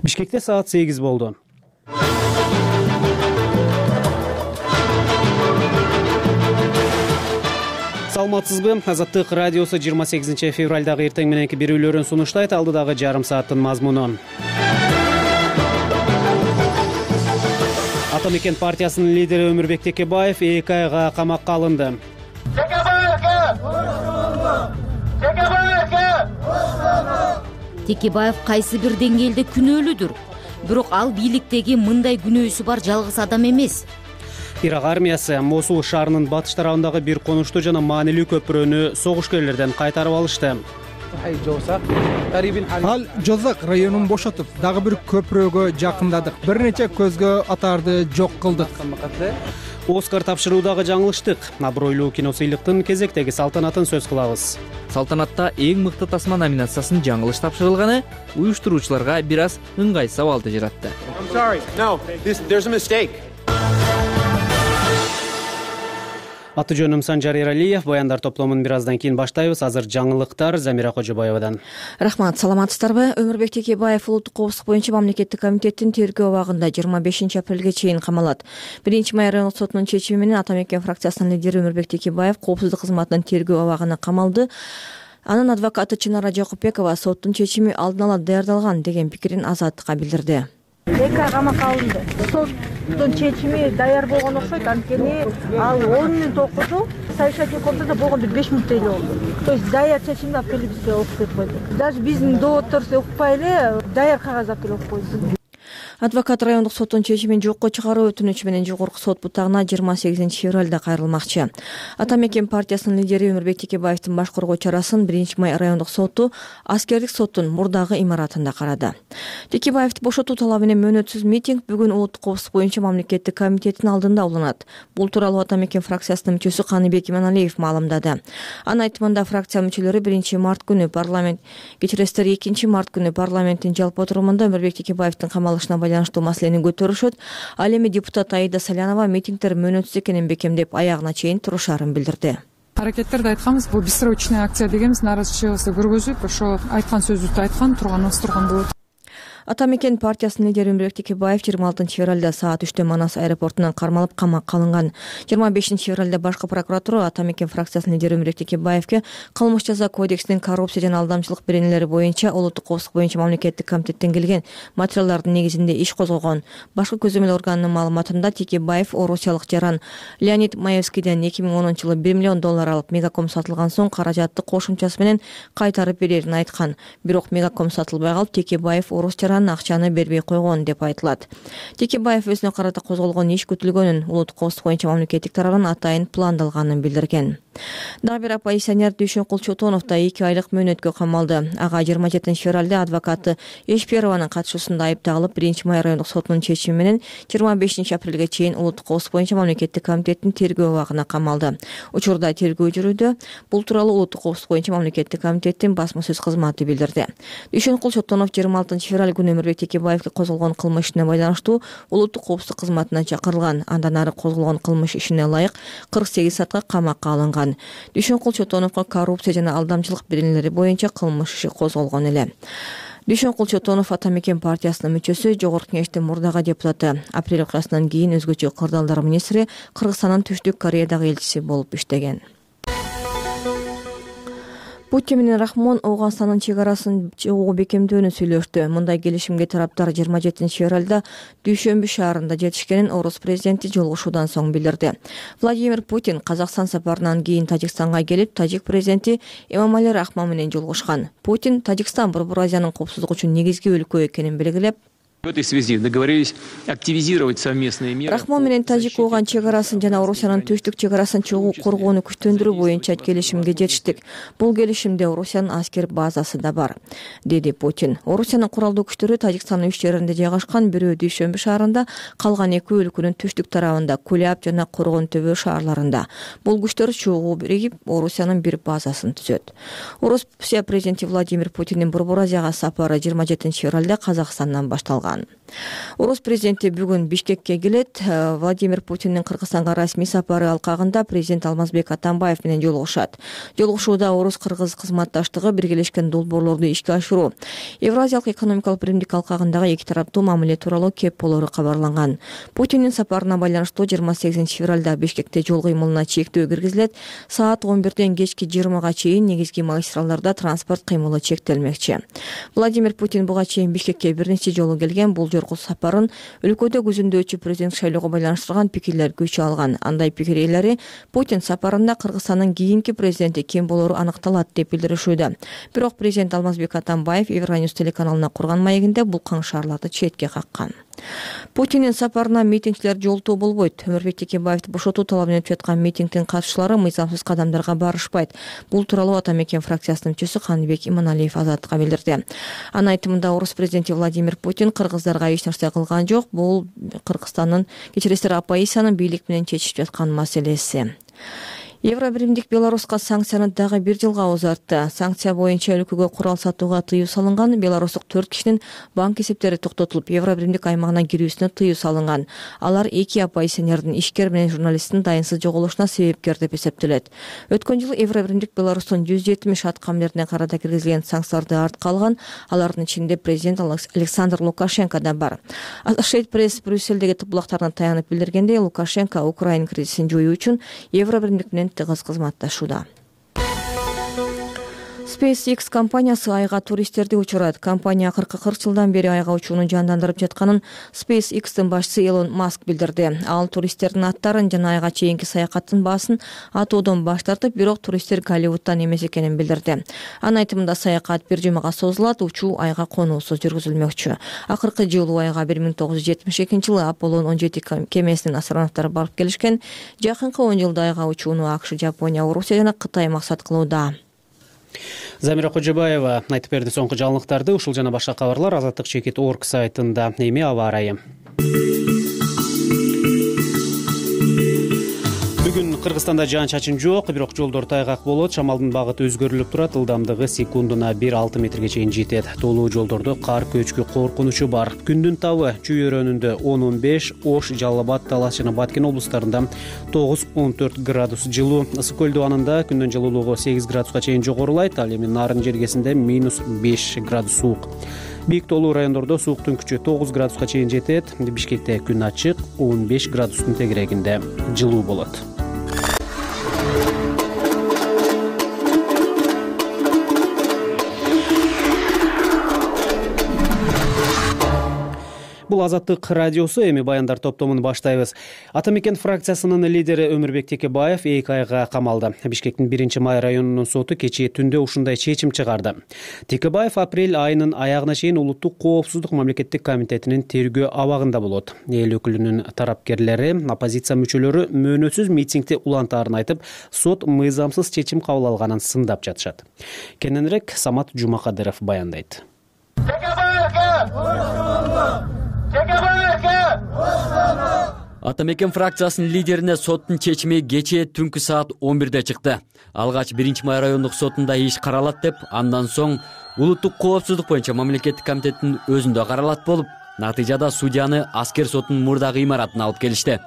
Бишкекте саат 8 болду. Саламатсызбы? Азаттык радиосу 28 февралдагы эртең мененки берүүлөрүн сунуштайт. Алдыдагы жарым сааттын мазмуну. Ата мекен партиясынын лидери Өмүрбек Текебаев 2 айга камакка алынды. Текебаев кайсы бир деңгээлде күнөөлүүдүр. Бирок ал бийликтеги мындай күнөөсү бар жалгыз адам эмес. Ирак армиясы Мосул шаарынын батыш тарабындагы бир конуштуу жана маанилүү көпүрөнү согушкерлерден кайтарып алышты. Ал Жозак районун бошотуп, дагы бир көпүрөгө жакындадык. Бир нече көзгө атарды жок кылдык. Оскар тапшыруудагы жаңылыштык. Абройлуу киносыйлыктын кезектеги салтанатын сөз кылабыз. Салтанатта эң мыкты тасма номинациясын жаңылыш тапшырылганы уюштуруучуларга бир аз ыңгай сабалды жаратты. Аты жөнүм Санжар Эралиев. Баяндар топтомун бир аздан кийин баштайбыз. Азыр жаңылыктар Замира Кожобаевадан. Рахмат, саламатсыздарбы? Өмүрбек Текебаев улуттук коопсуздук боюнча мамлекеттик комитеттин тергөө абагында 25 апрелге чейин камалат. 1-май райондук сотунун чечими менен Ата мекен фракциясынын лидери Өмүрбек Текебаев коопсуздук кызматынын тергөө абагына камалды. Анын адвокаты Чынара Жакупбекова соттун чечими алдын ала даярдалган деген пикирин Азаттыкка билдирди. 2 ай камакка алынды. Соттун чечими даяр болгон окшойт, анткени ал 10 мүнөт окуду, совещательный комнатада болгондо 5 мүнөттө эле болду. То есть даяр чечимди алып келип бизге окуп кетип койду. Даже биздин доводторубузду укпай эле даяр кагаз алып келип окуп койду. Адвокат райондук соттун чечимин жокко чыгаруу өтүнүчү менен жогорку сот бутагына 28 февралда кайрылмакчы. Ата мекен партиясынын лидери Өмүрбек Текебаевдин баш коргоо чарасын 1-май райондук соту аскердик соттун мурдагы имаратында карады. Текебаевди бошотуу талабы менен мөөнөтсүз митинг бүгүн улуттук коопсуздук боюнча мамлекеттик комитеттин алдында уланат. Бул тууралуу Ата мекен фракциясынын мүчөсү Каныбек Иманалиев маалымдады. Анын айтымында фракция мүчөлөрү 1-март күнү парламент кечиресиздер 2-март күнү парламенттин жалпы отурумунда Өмүрбек Текебаевдин камалышына байланыштуу маселени көтөрүшөт. Ал эми депутат Аида Салянова митингдер мөөнөтсүз экенин бекемдеп аягына чейин турушарын билдирди. Аракеттерди айтканбыз, бул бессрочный акция дегенбиз, нааразычылыгыбызды көргөзүп, ошо айткан сөзүбүздү айткан турганыбыз турган болот. Ата мекен партиясынын лидери Өмүрбек Текебаев 26 февралда саат 3-тө Манас аэропортунан кармалып камакка алынган. 25 февралда башкы прокуратура Ата мекен фракциясынын лидери Өмүрбек Текебаевге кылмыш жаза кодексинин коррупция жана алдамчылык беренелери боюнча улуттук коопсуздук боюнча мамлекеттик комитеттен келген материалдардын негизинде иш козгогон. Башкы көзөмөл органынын маалыматында Текебаев орусиялык жаран Леонид Маевскийден 2010-жылы $1 миллион алып Мегаком сатылган соң каражатты кошумчасы менен кайтарып берерин айткан. Бирок Мегаком сатылбай калып, Текебаев орус акчаны бербей койгон деп айтылат. Текебаев өзүнө карата козголгон иш күтүлгөнүн, улуттук коопсуздук боюнча мамлекеттик тарабынан атайын пландалганын билдирген. Дагы бир оппозиционер Дүйшөнкул Чотонов да 2 айлык мөөнөткө камалды. Ага 27 февралда адвокаты Эшперованын катышуусунда айыпталып, 1-май райондук сотунун чечими менен 25 апрелге чейин улуттук коопсуздук боюнча мамлекеттик комитеттин тергөө абагына камалды. Учурда тергөө жүрүүдө. Бул тууралуу улуттук коопсуздук боюнча мамлекеттик комитеттин басма сөз кызматы билдирди. Дүйшөнкул Чотонов 26 февраль күнү Өмүрбек Текебаевге козголгон кылмыш ишине байланыштуу улуттук коопсуздук кызматына чакырылган. Андан ары козголгон кылмыш ишине ылайык 48 саатка камакка алынган. Дүйшөнкул Чотоновго коррупция жана алдамчылык беренелери боюнча кылмыш иши козголгон эле. Дүйшөнкул Чотонов Ата мекен партиясынын мүчөсү, Жогорку Кеңештин мурдагы депутаты. Апрель окуясынан кийин өзгөчө кырдаалдар министри, Кыргызстандын Түштүк Кореядагы элчиси болуп иштеген. Путин менен Рахмон Ооганстандын чек арасын чогуу бекемдөөнү сүйлөштү. Мындай келишимге тараптар 27 февралда Дүйшөмбү шаарында жетишкенин орус президенти жолугушуудан соң билдирди. Владимир Путин Казакстан сапарынан кийин Тажикстанга келип, тажик президенти Эмомали Рахмон менен жолугушкан. Путин Тажикстан Борбор Азиянын коопсуздугу үчүн негизги өлкө экенин белгилеп, В этой связи договорились активизировать совместные меры. Рахмон менен Тажик Ооған чек арасын жана Орусиянын түштүк чек арасын чогуу коргоону күчтөндүрүү боюнча келишимге жетиштик. Бул келишимде Орусиянын аскер базасы да бар, деди Путин. Орусиянын куралдуу күчтөрү Тажикстандын 3 жеринде жайгашкан, бирөө Дүйшөмбү шаарында, калган 2 өлкөнүн түштүк тарабында, Куляб жана Коргон төбө шаарларында. Бул күчтөр чогуу биригип Орусиянын бир базасын түзөт. Орусия президенти Владимир Путиндин Борбор Азияга сапары 27 февралда Казакстандан башталган. калган. Орус президенти бүгүн Бишкекке келет. Владимир Путиндин Кыргызстанга расмий сапары алкагында президент Алмазбек Атамбаев менен жолугушат. Жолугушууда орус-кыргыз кызматташтыгы, биргелешкен долбоорлорду ишке ашыруу, Евразиялык экономикалык биримдик алкагындагы эки тараптуу мамиле тууралуу кеп болору кабарланган. Путиндин сапарына байланыштуу 28 февралда Бишкекте жол кыймылына чектөө киргизилет. Саат 11-ден кечки 20-га чейин негизги магистралдарда транспорт кыймылы чектелмекчи. Владимир Путин буга чейин Бишкекке бир нече жолу келген. Бул жорку сапарын өлкөдө көзөмдөчү президент шайлоого байланыштырган пикирлер күч алган. Андай пикир ээлери Путин сапарында Кыргызстандын кийинки президенти ким болору аныкталат деп билдиришүүдө. Бирок президент Алмазбек Атамбаев Евроньюз телеканалына курган маегинде бул каңшаарларды четке каккан. Путиндин сапарына митингчилер жолтоо болбойт. Өмүрбек Текебаевди бошотуу талабын өтүп жаткан митингдин катышчылары мыйзамсыз кадамдарга барышпайт. Бул тууралуу Ата Мекен фракциясынын мүчөсү Каныбек Иманалиев Азаттыкка билдирди. Анын айтымында орус президенти Владимир Путин кыргыздарга эч нерсе кылган жок. Бул Кыргызстандын, кечиресиздер, оппозициянын бийлик менен чечишип жаткан маселеси. Евробиримдик Беларуска санкцияны дагы 1 жылга узартты. Санкция боюнча өлкөгө курал сатууга тыюу салынган. Беларустук 4 кишинин банк эсептери токтотулуп, Евробиримдик аймагына кирүүсүнө тыюу салынган. Алар 2 оппозиционердин, ишкер менен журналисттин дайынсыз жоголушуна себепкер деп эсептелет. Өткөн жылы Евробиримдик Беларустун 170 аткамлерине карата киргизилген санкцияларды артка алган. Алардын ичинде президент Александр Лукашенко да бар. Associated Press Брюссельдеги тыплактарына таянып билдиргендей, Лукашенко Украина кризисин жоюу үчүн Евробиримдик менен тыгыз кызматташууда. SpaceX компаниясы айга туристтерди учурат. Компания 40 жылдан бери айга учууну жандандырып жатканын SpaceX'тин башчысы Элон Маск билдирди. Ал туристтердин аттарын жана айга чейинки саякаттын баасын атоодон баш тартып, бирок туристтер Голливудтан эмес экенин билдирди. Анын айтымында саякат 1 жумага созулат, учуу айга конуусуз жүргүзүлмөкчү. Акыркы жолу айга 1972-жылы Аполлон 17 кемесинин астронавттары барып келишкен. Жакынкы 10 жылда айга учууну АКШ, Жапония, Орусия жана Кытай максат кылууда. Замира Кожобаева айтып берди соңку жаңылыктарды. Ушул жана башка кабарлар Азаттык.org сайтында. Эми аба ырайы. Бүгүн Кыргызстанда жаан-чачын жок, бирок жолдор тайгак болот. Шамалдын багыты өзгөрүлүп турат. Ылдамдыгы секундуна 1-6 метрге чейин жетет. Толуу жолдордо кар көчкү коркунучу бар. Күндүн табы Чүй өрөөнүндө 10-15, Ош, Жалал Абад, Талас жана Баткен облустарында 9-14 градус жылуу. Ысык көл дубанында күндүн жылуулугу 8 градуска чейин жогорулайт. Ал эми Нарын жергесинде -5 градус суук. Бийик тоолуу райондордо сууктун күчү 9 градуска чейин жетет. Бишкекте күн ачык, 15 градустун тегерегинде жылуу болот. Бул Азаттык радиосу, эми баяндар топтомун баштайбыз. Ата Мекен фракциясынын лидери Өмүрбек Текебаев 2 айга камалды. Бишкектин 1-май районунун соту кечээ түндө ушундай чечим чыгарды. Текебаев апрель айынын аягына чейин Улуттук коопсуздук мамлекеттик комитетинин тергөө абагында болот. Эл өкүлүнүн тарапкерлери, оппозиция мүчөлөрү мөөнөтсүз митингди улантаарын айтып, сот мыйзамсыз чечим кабыл алганын сындап жатышат. Кененирээк Самат Жумакадыров баяндайт. Ата Мекен фракциясынын лидерине соттун чечими кечээ түнкү саат 11-де чыкты. Алгач 1-май райондук сотунда иш каралат деп, андан соң Улуттук коопсуздук боюнча мамлекеттик комитеттин өзүндө каралат болуп, натыйжада судьяны аскер сотунун мурдагы имаратына алып келишти.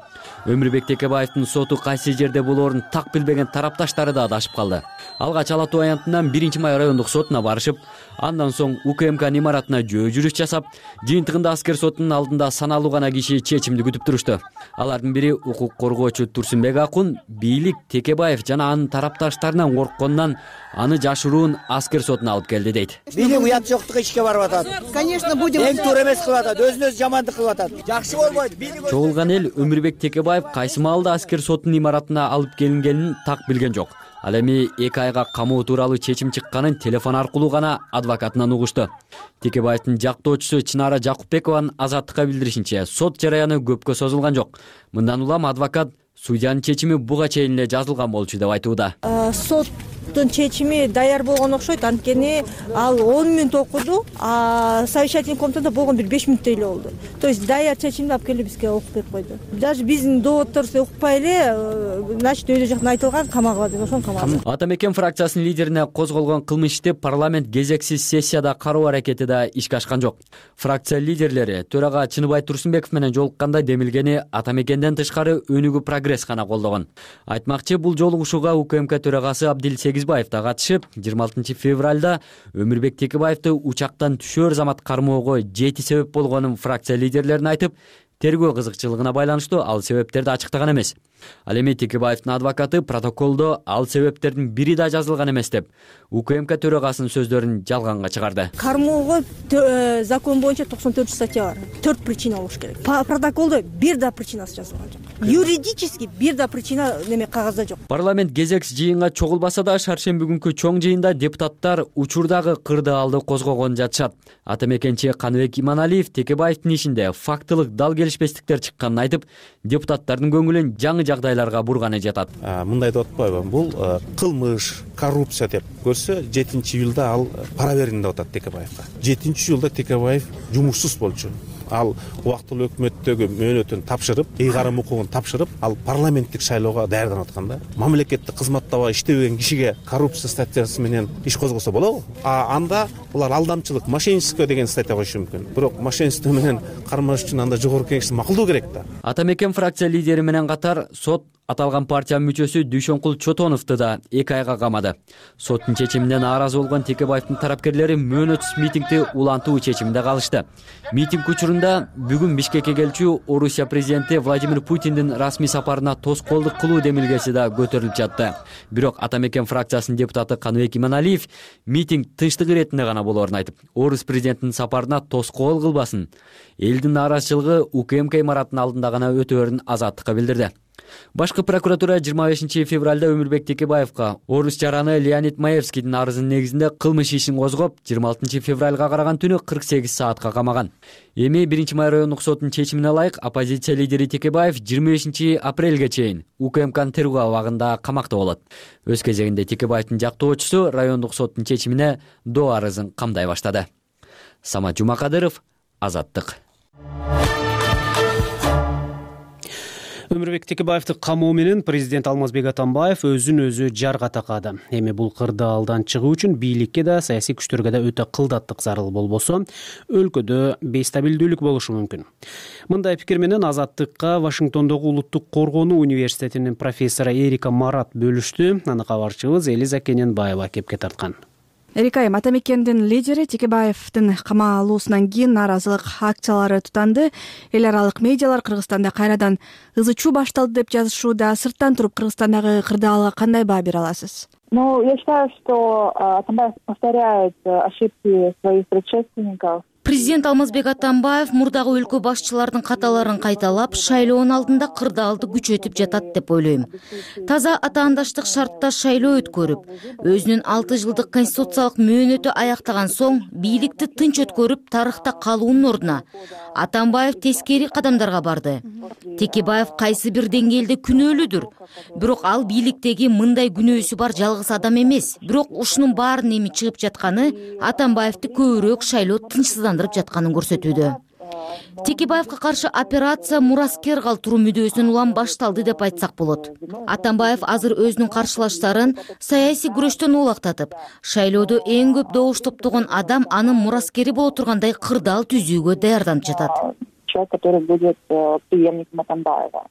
Өмүрбек Текебаевдин соту кайсы жерде болоорун так билбеген тарапташтары да адашып калды. Алгач Ала Тоо аянтынан 1-май райондук сотуна барышып, андан соң УКМК имаратына жөө жүрүш жасап, жыйынтыгында аскер сотунун алдында саналуу гана киши чечимди күтүп турушту. Алардын бири укук коргоочу Турсунбек Акун, бийлик Текебаев жана анын тарапташтарынан коркконунан аны жашыруун аскер сотуна алып келди дейт. Бийлик уят жоктугу ишке барып атат. Конечно, будем. Эң туура эмес кылып атат, өзүнө жамандык кылып атат. Жакшы болбойт. Чогулган эл Өмүрбек Текебаев кайсы маалда аскер сотунун имаратына алып келингенин так билген жок. Ал эми 2 айга камоо тууралуу чечим чыкканын телефон аркылуу гана адвокатынан угушту. Текебаевдин жактоочусу Чынара Жакупбекованын Азаттыкка билдиришинче, сот жараяны көпкө созулган жок. Мындан улам адвокат судьянын чечими буга чейин эле жазылган болчу деп айтууда. Сот соттун чечими даяр болгон окшойт, анткени ал 10 мүнөт окуду, а совещательный комнатада болгон бир 5 мүнөттөй эле болду. То есть даяр чечимди алып келип бизге окуп берип койду. Даже биздин доводторубузду укпай эле, значит өйдө жактан айтылган камагыла деп ошону камаган. Атамекен фракциясынын лидерине козголгон кылмыш ишти парламент кезексиз сессияда кароо аракети да ишке ашкан жок. Фракция лидерлери төрага Чыныбай Турсунбеков менен жолукканда демилгени Атамекенден тышкары өнүгүү прогресс гана колдогон. Айтмакчы, бул жолугушууга УКМК төрагасы Абдил Сегизбаев да катышып, 26 февралда Өмүрбек Текебаевди учактан түшөр замат кармоого 7 себеп болгонун фракция лидерлерине айтып, тергөө кызыкчылыгына байланыштуу ал себептерди ачыктаган эмес. Ал эми Текебаевдин адвокаты протоколдо ал себептердин бири да жазылган эмес деп УКМК төрагасынын сөздөрүн жалганга чыгарды. Кармоого закон боюнча 94 статья бар. 4 причина болуш керек. Протоколдо бир да причинасы жазылган жок. Юридически бир да причина неме кагазда жок. Парламент кезекс жыйынга чогулбаса да шаршемби күнкү чоң жыйында депутаттар учурдагы кырдаалды козгогон жатышат. Атамекенчи Каныбек Иманалиев Текебаевдин ишинде фактылык дал келишпестиктер чыкканын айтып, депутаттардын көңүлүн жаңы жагдайларга бурганы жатат. Мындай деп атпайбы? Бул кылмыш, коррупция деп көрсө, 7-июлда ал пара бердим деп атат Текебаевга. 7-июлда Текебаев жумушсуз болчу. Ал убактылуу өкмөттөгү мөөнөтүн тапшырып, ыйгарым укугун тапшырып, ал парламенттик шайлоого даярданып атканда, мамлекеттик кызматтабай иштебеген кишиге коррупция статьясы менен иш козгосо болобу? Анда булар алдамчылык, мошенничество деген статья коюшу мүмкүн. Бирок мошенничество менен кармаш үчүн анда жогорку кеңеш макулдуу керек да. Атамекен фракция лидери менен катар сот аталган партиянын мүчөсү Дүйшөнкул Чотоновду да 2 айга камады. Соттун чечимине нааразы болгон Текебаевдин тарапкерлери мөөнөтсүз митингди улантуу чечиминде калышты. Митинг учурунда бүгүн Бишкекке келчү Орусия президенти Владимир Путиндин расмий сапарына тоскоолдук кылуу демилгеси да көтөрүлүп жатты. Бирок Атамекен фракциясынын депутаты Каныбек Иманалиев митинг тынчтык иретинде гана болоорун айтып, Орус президентинин сапарына тоскоол кылбасын. Элдин нааразычылыгы УКМК имаратынын алдында гана өтөөрүн азаттыкка билдирди. Башкы прокуратура 25 февралда Өмүрбек Текебаевга орус жараны Леонид Маевскийдин арызынын негизинде кылмыш ишин козгоп, 26 февралга караган түнү 48 саатка камаган. Эми 1-май райондук соттун чечимине ылайык оппозиция лидери Текебаев 25 апрелге чейин УКМКнын тергөө абагында камакта болот. Өз кезегинде Текебаевдин жактоочусу райондук соттун чечимине доо арызын камдай баштады. Самат Жумакадыров, Азаттык. Өмүрбек Текебаевди камоо менен президент Алмазбек Атамбаев өзүн өзү жарга такады. Эми бул кырдаалдан чыгуу үчүн бийликке да, саясий күчтөргө да өтө кылдаттык зарыл болбосо, өлкөдө бейстабилдүүлүк болушу мүмкүн. Мындай пикир менен Азаттыкка Вашингтондогу Улуттук коргонуу университетинин профессору Эрика Марат бөлүштү. Аны кабарчыбыз Элиза Кененбаева кепке тарткан. Эрика айым, Атамекендин лидери Текебаевдин камалуусунан кийин нааразылык акциялары тутанды. Эл аралык медиалар Кыргызстанда кайрадан ызы чуу башталды деп жазышууда. Сырттан туруп Кыргызстандагы кырдаалга кандай баа бере аласыз? Я считаю, что Атамбаев повторяет ошибки своих предшественников. Президент Алмазбек Атамбаев мурдагы өлкө башчылардын каталарын кайталап, шайлоонун алдында кырдаалды күчөтүп жатат деп ойлойм. Таза атаандаштык шартта шайлоо өткөрүп, өзүнүн 6 жылдык конституциялык мөөнөтү аяктаган соң бийликти тынч өткөрүп тарыхта калуунун ордуна Атамбаев тескери кадамдарга барды. Текебаев кайсы бир деңгээлде күнөөлүүдүр, бирок ал бийликтеги мындай күнөөсү бар жалгыз адам эмес. Бирок ушунун баарын эми чыгып жатканы Атамбаевди көбүрөөк шайлоо тынчсыздандырып жатканын көрсөтүүдө. Текебаевга каршы операция мураскер калтыруу мүдөөсүнөн улам башталды деп айтсак болот. Атамбаев азыр өзүнүн каршылаштарын саясий күрөштөн улактатып, шайлоодо эң көп добуш топтогон адам анын мураскери боло тургандай кырдаал түзүүгө даярданып жатат. Человек, который будет преемником Атамбаева.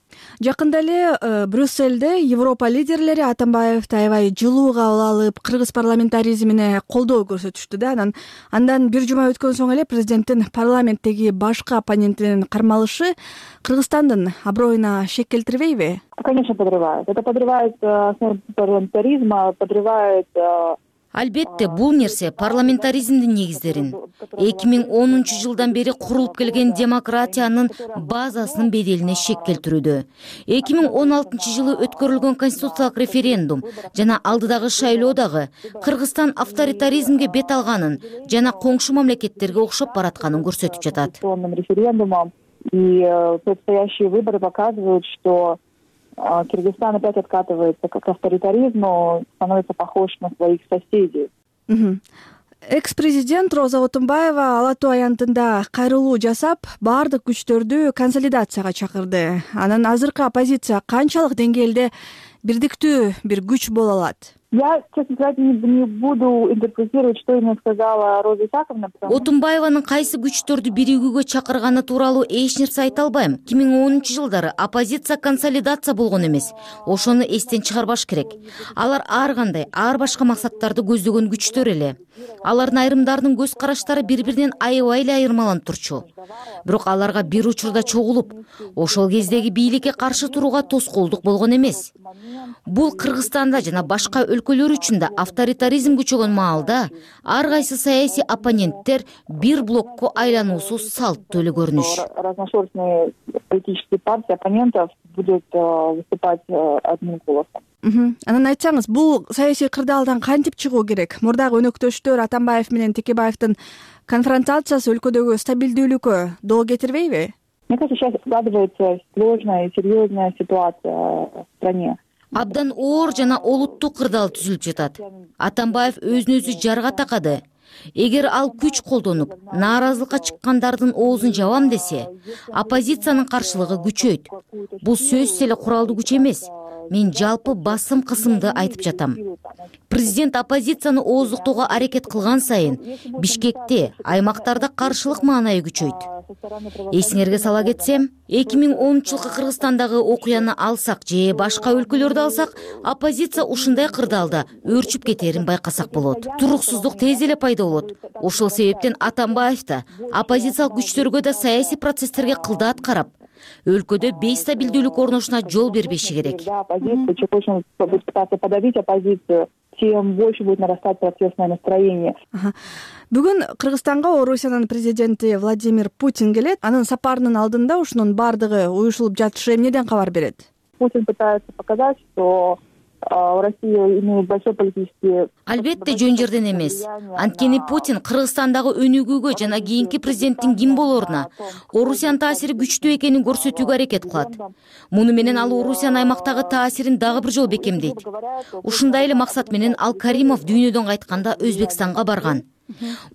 Жакында эле Брюссельде Европа лидерлери Атамбаевди аябай жылуу кабыл алып, кыргыз парламентаризмине колдоо көрсөтүштү да. Андан бир жума өткөн соң эле президенттин парламенттеги башкы оппонентинин кармалышы Кыргызстандын аброюна шек келтирбейби? Конечно, подрывает. Это подрывает основу парламентаризма, подрывает. Албетте, бул нерсе парламентаризмдин негиздерин, 2010 жылдан бери курулуп келген демократиянын базасынын беделине шек келтирүүдө. 2016 жылы өткөрүлгөн конституциялык референдум жана алдыдагы шайлоо дагы Кыргызстан авторитаризмге бет алганын жана коңшу мамлекеттерге окшоп баратканын көрсөтүп жатат. Референдумом и предстоящие выборы показывают, что Кыргызстан опять откатывается к авторитаризму, становится похож на своих соседей. Экс-президент Роза Отунбаева Ала Тоо аянтында кайрылуу жасап, баардык күчтөрдү консолидацияга чакырды. Анан азыркы оппозиция канчалык деңгээлде бирдиктүү бир күч боло алат? Я, честно сказать, не буду интерпретировать, что именно сказала Роза Исаковна. Отунбаеванын кайсы күчтөрдү биригүүгө чакырганы тууралуу эч нерсе айта албайм. 2010-жылдары оппозиция консолидация болгон эмес. Ошону эстен чыгарбаш керек. Алар ар кандай, ар башка максаттарды көздөгөн күчтөр эле. Алардын айрымдарынын көз караштары бири-биринен аябай эле айырмаланып турчу. Бирок аларга бир учурда чогулуп, ошол кездеги бийликке каршы турууга тоскоолдук болгон эмес. Бул Кыргызстанда жана башка өлкөлөр үчүн да авторитаризм күчөгөн маалда ар кайсы саясий оппоненттер бир блокко айлануусу салттуу эле көрүнүш. Разношерстные политические партии оппонентов будут выступать одним голосом. Анан айтсаңыз, бул саясий кырдаалдан кантип чыгуу керек? Мурдагы өнөктөштөр Атамбаев менен Текебаевдин конфронтациясы өлкөдөгү стабилдүүлүккө доо кетирбейби? Мне кажется, сейчас складывается сложная и серьезная ситуация в стране. Абдан оор жана олуттуу кырдаал түзүлүп жатат. Атамбаев өзүн өзү жарга такады. Эгер ал күч колдонуп, нааразылыкка чыккандардын оозун жабам десе, оппозициянын каршылыгы күчөйт. Бул сөзсүз эле куралдуу күч эмес. Мен жалпы басым кысымды айтып жатам. Президент оппозицияны ооздуктоого аракет кылган сайын Бишкекте, аймактарда каршылык маанайы күчөйт. Эсиңерге сала кетсем, 2010-жылкы Кыргызстандагы окуяны алсак же башка өлкөлөрдү алсак, оппозиция ушундай кырдаалда өөрчүп кетерин байкасак болот. Туруксуздук тез эле пайда болот. Ошол себептен Атамбаев да оппозициялык күчтөргө да саясий процесстерге кылдаат карап, өлкөдө бейстабилдүүлүк орношуна жол бербеши керек. Чем больше будет пытаться подавить оппозицию, тем больше будет нарастать протестное настроение. Бүгүн Кыргызстанга Орусиянын президенти Владимир Путин келет. Анын сапарынын алдында ушунун баардыгы уюшулуп жатышы эмнеден кабар берет? Путин пытается показать, что Россия имеет большой политический... Албетте жөн жерден эмес. Анткени Путин Кыргызстандагы өнүгүүгө жана кийинки президенттин ким болоруна, Орусиянын таасири күчтүү экенин көрсөтүүгө аракет кылат. Муну менен ал Орусиянын аймактагы таасирин дагы бир жолу бекемдейт. Ушундай эле максат менен Ал Каримов дүйнөдөн кайтканда Өзбекстанга барган.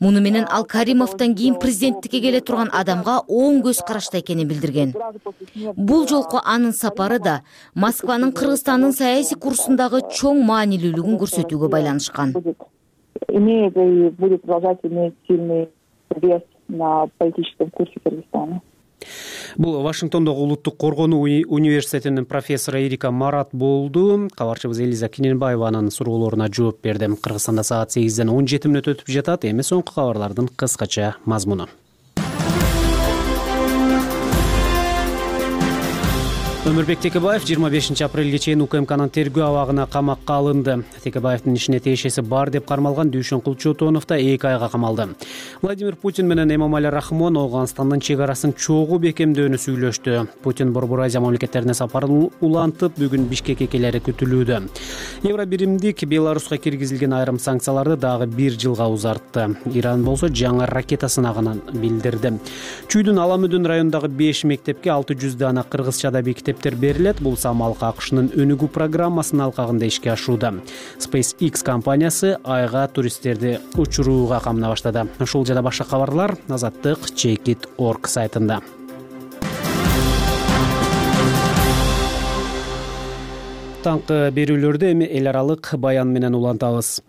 Муну менен Ал Каримовдон кийин президенттикке келе турган адамга оң көз карашта экенин билдирген. Бул жолку анын сапары да Москванын Кыргызстандын саясий курсундагы чоң маанилүүлүгүн көрсөтүүгө байланышкан. Имеет и будет продолжать иметь сильный вес на политическом курсе Кыргызстана. Бул Вашингтондогу Улуттук коргонуу университетинин профессору Эрика Марат болду. Кабарчыбыз Элиза Киненбаеванын суроолоруна жооп берди. Кыргызстанда саат 8ден 17 мүнөт өтүп жатат. Эми соңку кабарлардын кыскача мазмуну. Өмүрбек Текебаев 25-апрелге чейин УКМКнын тергөө абагына камакка алынды. Текебаевдин ишине тиешеси бар деп кармалган Дүйшөнкул Чотонов да 2 айга камалды. Владимир Путин менен Эмомали Рахмон Ооганстандын чек арасын чогуу бекемдөөнү сүйлөштү. Путин Борбор Азия мамлекеттерине сапарын улантып, бүгүн Бишкекке келери күтүлүүдө. Евробиримдик Беларуска киргизилген айрым санкцияларды дагы 1 жылга узартты. Иран болсо жаңы ракета сынагынан билдирди. Чүйдүн Аламүдүн районундагы 5 мектепке 600 дана кыргызчада бекитиптер берилет. Бул самалкы АКШнын өнүгүү программасынын алкагында ишке ашууда. SpaceX компаниясы айга туристтерди учурууга камына баштады. Ушул жана башка кабарлар Азаттык Checkit.org сайтында. Таңкы берүүлөрдү эми эл аралык баян менен улантабыз.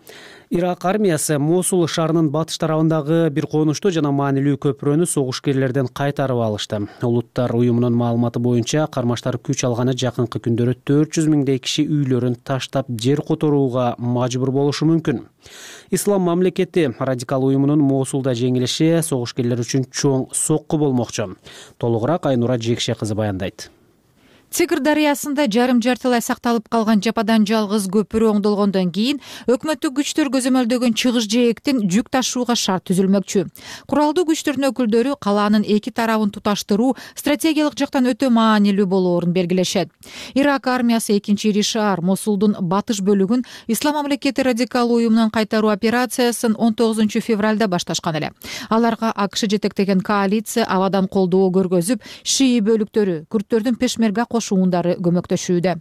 Ирак армиясы Мосул шаарынын батыш тарабындагы бир конушту жана маанилүү көпүрөнү согушкерлерден кайтарып алышты. Улуттар уюмунун маалыматы боюнча кармаштар күч алганы жакынкы күндөрү 400 миңдей киши үйлөрүн таштап жер которууга мажбур болушу мүмкүн. Ислам мамлекети радикал уюмунун Мосулда жеңилиши согушкерлер үчүн чоң сокку болмокчу. Толугураак Айнура Жекше кызы баяндайт. Тигр дарыясында жарым жартылай сакталып калган жападан жалгыз көпүрө оңдолгондон кийин өкмөттүк күчтөр көзөмөлдөгөн чыгыш жээктен жүк ташууга шарт түзүлмөкчү. Куралдуу күчтөрдүн өкүлдөрү калаанын 2 тарабын туташтыруу стратегиялык жактан өтө маанилүү болоорун белгилешет. Ирак армиясы 2-ири шаар Мосулдун батыш бөлүгүн Ислам мамлекети радикал уюмунун кайтаруу операциясын 19 февралда башташкан эле. Аларга АКШ жетектеген коалиция абадан колдоо көргөзүп, шии бөлүктөрү, күрттөрдүн пешмерга кош уундары көмөктөшүүдө.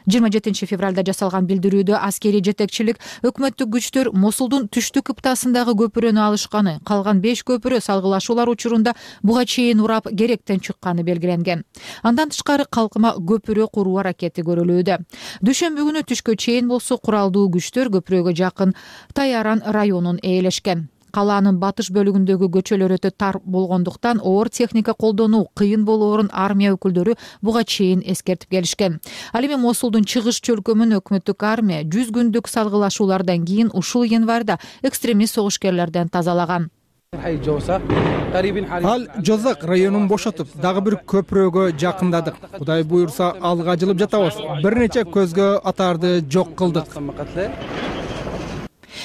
27 февралда жасалган билдирүүдө аскерий жетекчилик өкмөттүк күчтөр Мосулдун түштүк кыптасындагы көпүрөнү алышканы, калган 5 көпүрө салгылашуулар учурунда буга чейин урап керектен чыкканы белгиленген. Андан тышкары калкыма көпүрө куруу аракети көрүлүүдө. Дүйшөмбү күнү түшкө чейин болсо куралдуу күчтөр көпүрөгө жакын Тайаран районун ээлешкен. Калаанын батыш бөлүгүндөгү көчөлөр өтө тар болгондуктан оор техника колдонуу кыйын болоорун армия өкүлдөрү буга чейин эскертип келишкен. Ал эми Мосулдун чыгыш чөлкөмүн өкмөттүк армия 100 күндүк салгылашуулардан кийин ушул январда экстремист согушкерлерден тазалаган. Ал Жозак районун бошотуп, дагы бир көпүрөгө жакындадык. Кудай буйрса алга жылып жатабыз. Бир нече көзгө атарды жок кылдык,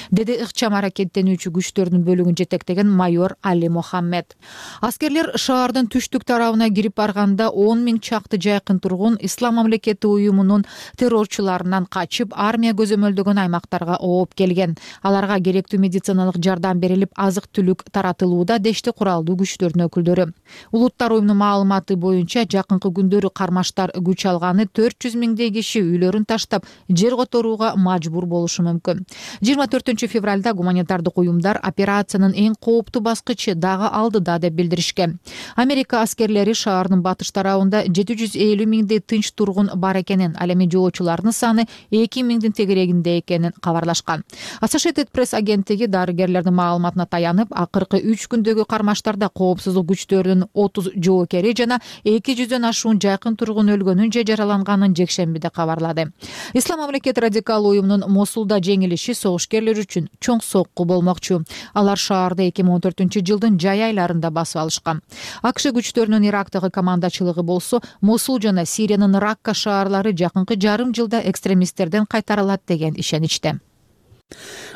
деди ыкчам аракеттенүүчү күчтөрдүн бөлүгүн жетектеген майор Али Мохаммед. Аскерлер шаардын түштүк тарабына кирип барганда 10 000 чакты жайкын тургун Ислам мамлекети уюмунун террорчуларынан качып, армия көзөмөлдөгөн аймактарга ооп келген. Аларга керектүү медициналык жардам берилип, азык-түлүк таратылууда, дешти куралдуу күчтөрдүн өкүлдөрү. Улуттар уюмунун маалыматы боюнча жакынкы күндөрү кармаштар күч алганы 400 000 киши үйлөрүн таштап, жер которууга мажбур болушу мүмкүн. 24 февралда гуманитардык уюмдар операциянын эң кооптуу баскычы дагы алдыда деп билдиришкен. Америка аскерлери шаардын батыш тарабында 750 000 тынч тургун бар экенин, ал эми жоочулардын саны 2 000 тегерегинде экенин кабарлашкан. Associated Press агенттиги дарыгерлердин маалыматына таянып, акыркы 3 күндөгү кармаштарда коопсуздук күчтөрүнүн 30 жоокери жана 200дөн ашуун жайкын тургун өлгөнүн же жараланганын жекшембиде кабарлады. Ислам мамлекети радикал уюмунун Мосулда жеңилиши согушкерлер үчүн чоң сокку болмокчу. Алар шаарды 2014-жылдын жай айларында басып алышкан. АКШ күчтөрүнүн Ирактагы командачылыгы болсо, Мосул жана Сириянын Ракка шаарлары жакынкы жарым жылда экстремисттерден кайтарылат деген ишеничте.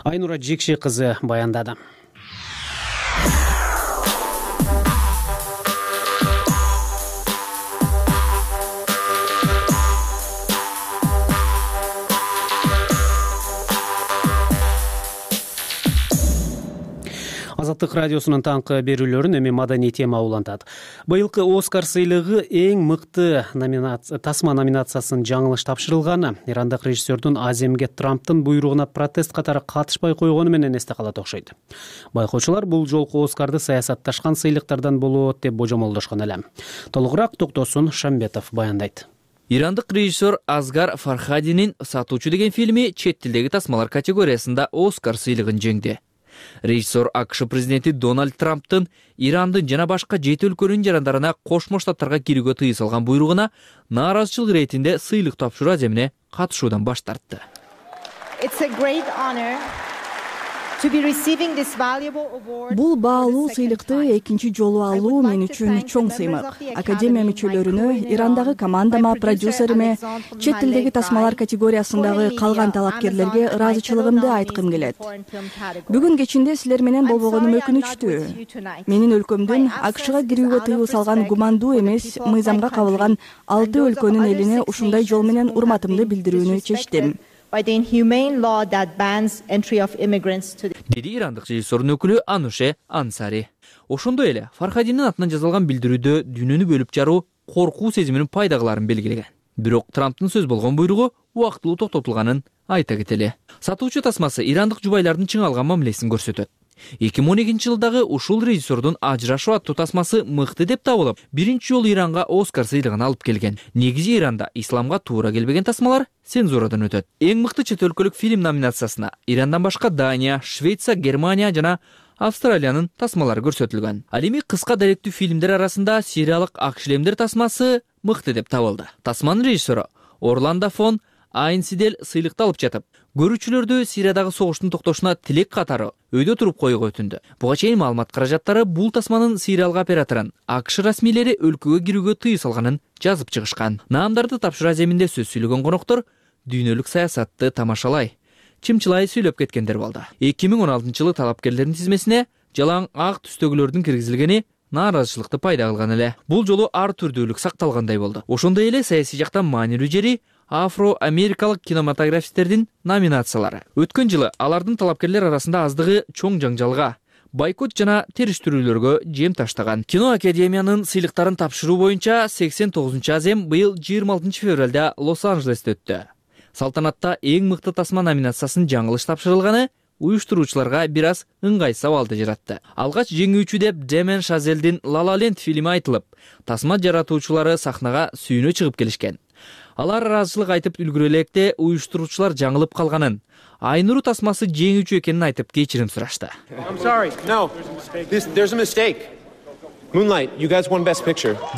Айнура Жекши кызы баяндады. Азаттык радиосунун таңкы берүүлөрүн эми маданий тема улантат. Быйылкы Оскар сыйлыгы эң мыкты тасма номинациясын жаңылыш тапшырылганы ирандык режиссердун Аземге Трамптын буйругуна протест катары катышпай койгону менен эсте калат окшойт. Байкоочулар бул жолку Оскарды саясатташкан сыйлыктардан болот деп божомолдошкон эле. Толугураак Токтосун Шамбетов баяндайт. Ирандык режиссер Азгар Фархадинин «Сатуучу» деген фильми чет тилдеги тасмалар категориясында Оскар сыйлыгын жеңди. Режиссер АКШ президенти Дональд Трамптын Ирандын жана башка 7 өлкөнүн жарандарына Кошмо Штаттарга кирүүгө тыюу салган буйругуна нааразычылык иретинде сыйлык тапшыруу аземине катышуудан баш тартты. Бул баалуу сыйлыкты экинчи жолу алуу мен үчүн чоң сыймык. Академия мүчөлөрүнө, Ирандагы командама, продюсериме, чет тилдеги тасмалар категориясындагы калган талапкерлерге ыраазычылыгымды айткым келет. Бүгүн кечинде силер менен болбогонум өкүнүчтүү. Менин өлкөмдүн АКШга кирүүгө тыюу салган гумандуу эмес мыйзамга кабылган 6 өлкөнүн элине ушундай жол менен урматымды билдирүүнү чечтим. Деди ирандык режиссердун өкүлү Ануше Ансари. Ошондой эле Фархадиндин атынан жазылган билдирүүдө дүйнөнү бөлүп жаруу коркуу сезиминин пайда кыларын белгилеген. Бирок Трамптын сөз болгон буйругу убактылуу токтотулганын айта кетели. Сатуучу тасмасы ирандык жубайлардын чыңалган мамилесин көрсөтөт. 2012-жылдагы ушул режиссердун Ажырашуу аттуу тасмасы мыкты деп табылып, биринчи жолу Иранга Оскар сыйлыгын алып келген. Негизи Иранда исламга туура келбеген тасмалар цензурадан өтөт. Эң мыкты чет өлкөлүк фильм номинациясына Ирандан башка Дания, Швеция, Германия жана Австралиянын тасмалары көрсөтүлгөн. Ал эми кыска даректүү фильмдер арасында сериялык Ак шлемдер тасмасы мыкты деп табылды. Тасманын режиссеру Орландо фон Айнсидель сыйлыкты алып жатып, көрүүчүлөрдү Сириядагы согуштун токтошуна тилек катары өйдө туруп коюуга өтүндү. Буга чейин маалымат каражаттары бул тасманын сериалга операторун АКШ расмийлери өлкөгө кирүүгө тыюу салганын жазып чыгышкан. Наамдарды тапшыруу аземинде сөз сүйлөгөн коноктор дүйнөлүк саясатты тамашалай, чымчылай сүйлөп кеткендер болду. 2016-жылы талапкерлердин тизмесине жалаң ак түстөгүлөрдүн киргизилгени нааразычылыкты пайда кылган эле. Бул жолу ар түрдүүлүк сакталгандай болду. Ошондой эле саясий жактан маанилүү жери афро-америкалык кинематографисттердин номинациялары. Өткөн жылы алардын талапкерлер арасында аздыгы чоң жаңжалга, бойкот жана териштирүүлөргө жем таштаган. Кино академиянын сыйлыктарын тапшыруу боюнча 89-азем быйыл 26 февралда Лос-Анджелесте өттү. Салтанатта эң мыкты тасма номинациясын жаңылыш тапшырылганы уюштуруучуларга бир аз ыңгай сабалды жаратты. Алгач жеңүүчү деп Демен Шазелдин La La Land фильми айтылып, тасма жаратуучулары сахнага сүйүнө чыгып келишкен. Алар ыраазычылык айтып үлгүрө электе уюштуруучулар жаңылып калганын, Айнуру тасмасы жеңүүчү экенин айтып кечирим сурашты.